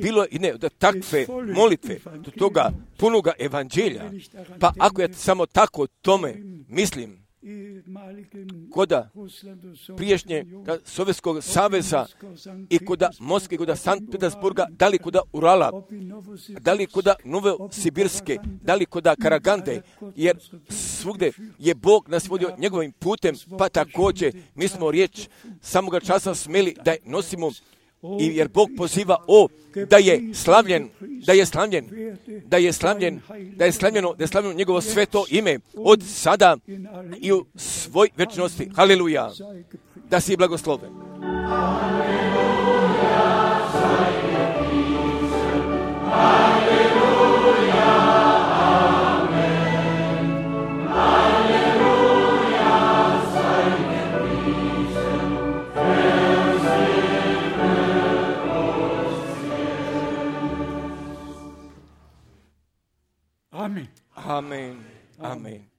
bilo i ne da takve molitve do toga punoga evanđelja, pa ako ja samo tako tome mislim, koda priješnje Sovjetskog saveza i koda Moskve, koda Sankt Petersburga, da li koda Urala, da li koda Novosibirske, da li koda Karagande, jer svugde je Bog nas vodio njegovim putem, pa također mi smo riječ samoga časa smeli da je nosimo, i jer Bog poziva da je slavljeno njegovo sveto ime od sada i u svoj večnosti. Haleluja. Da si blagosloven. Amen. Amen.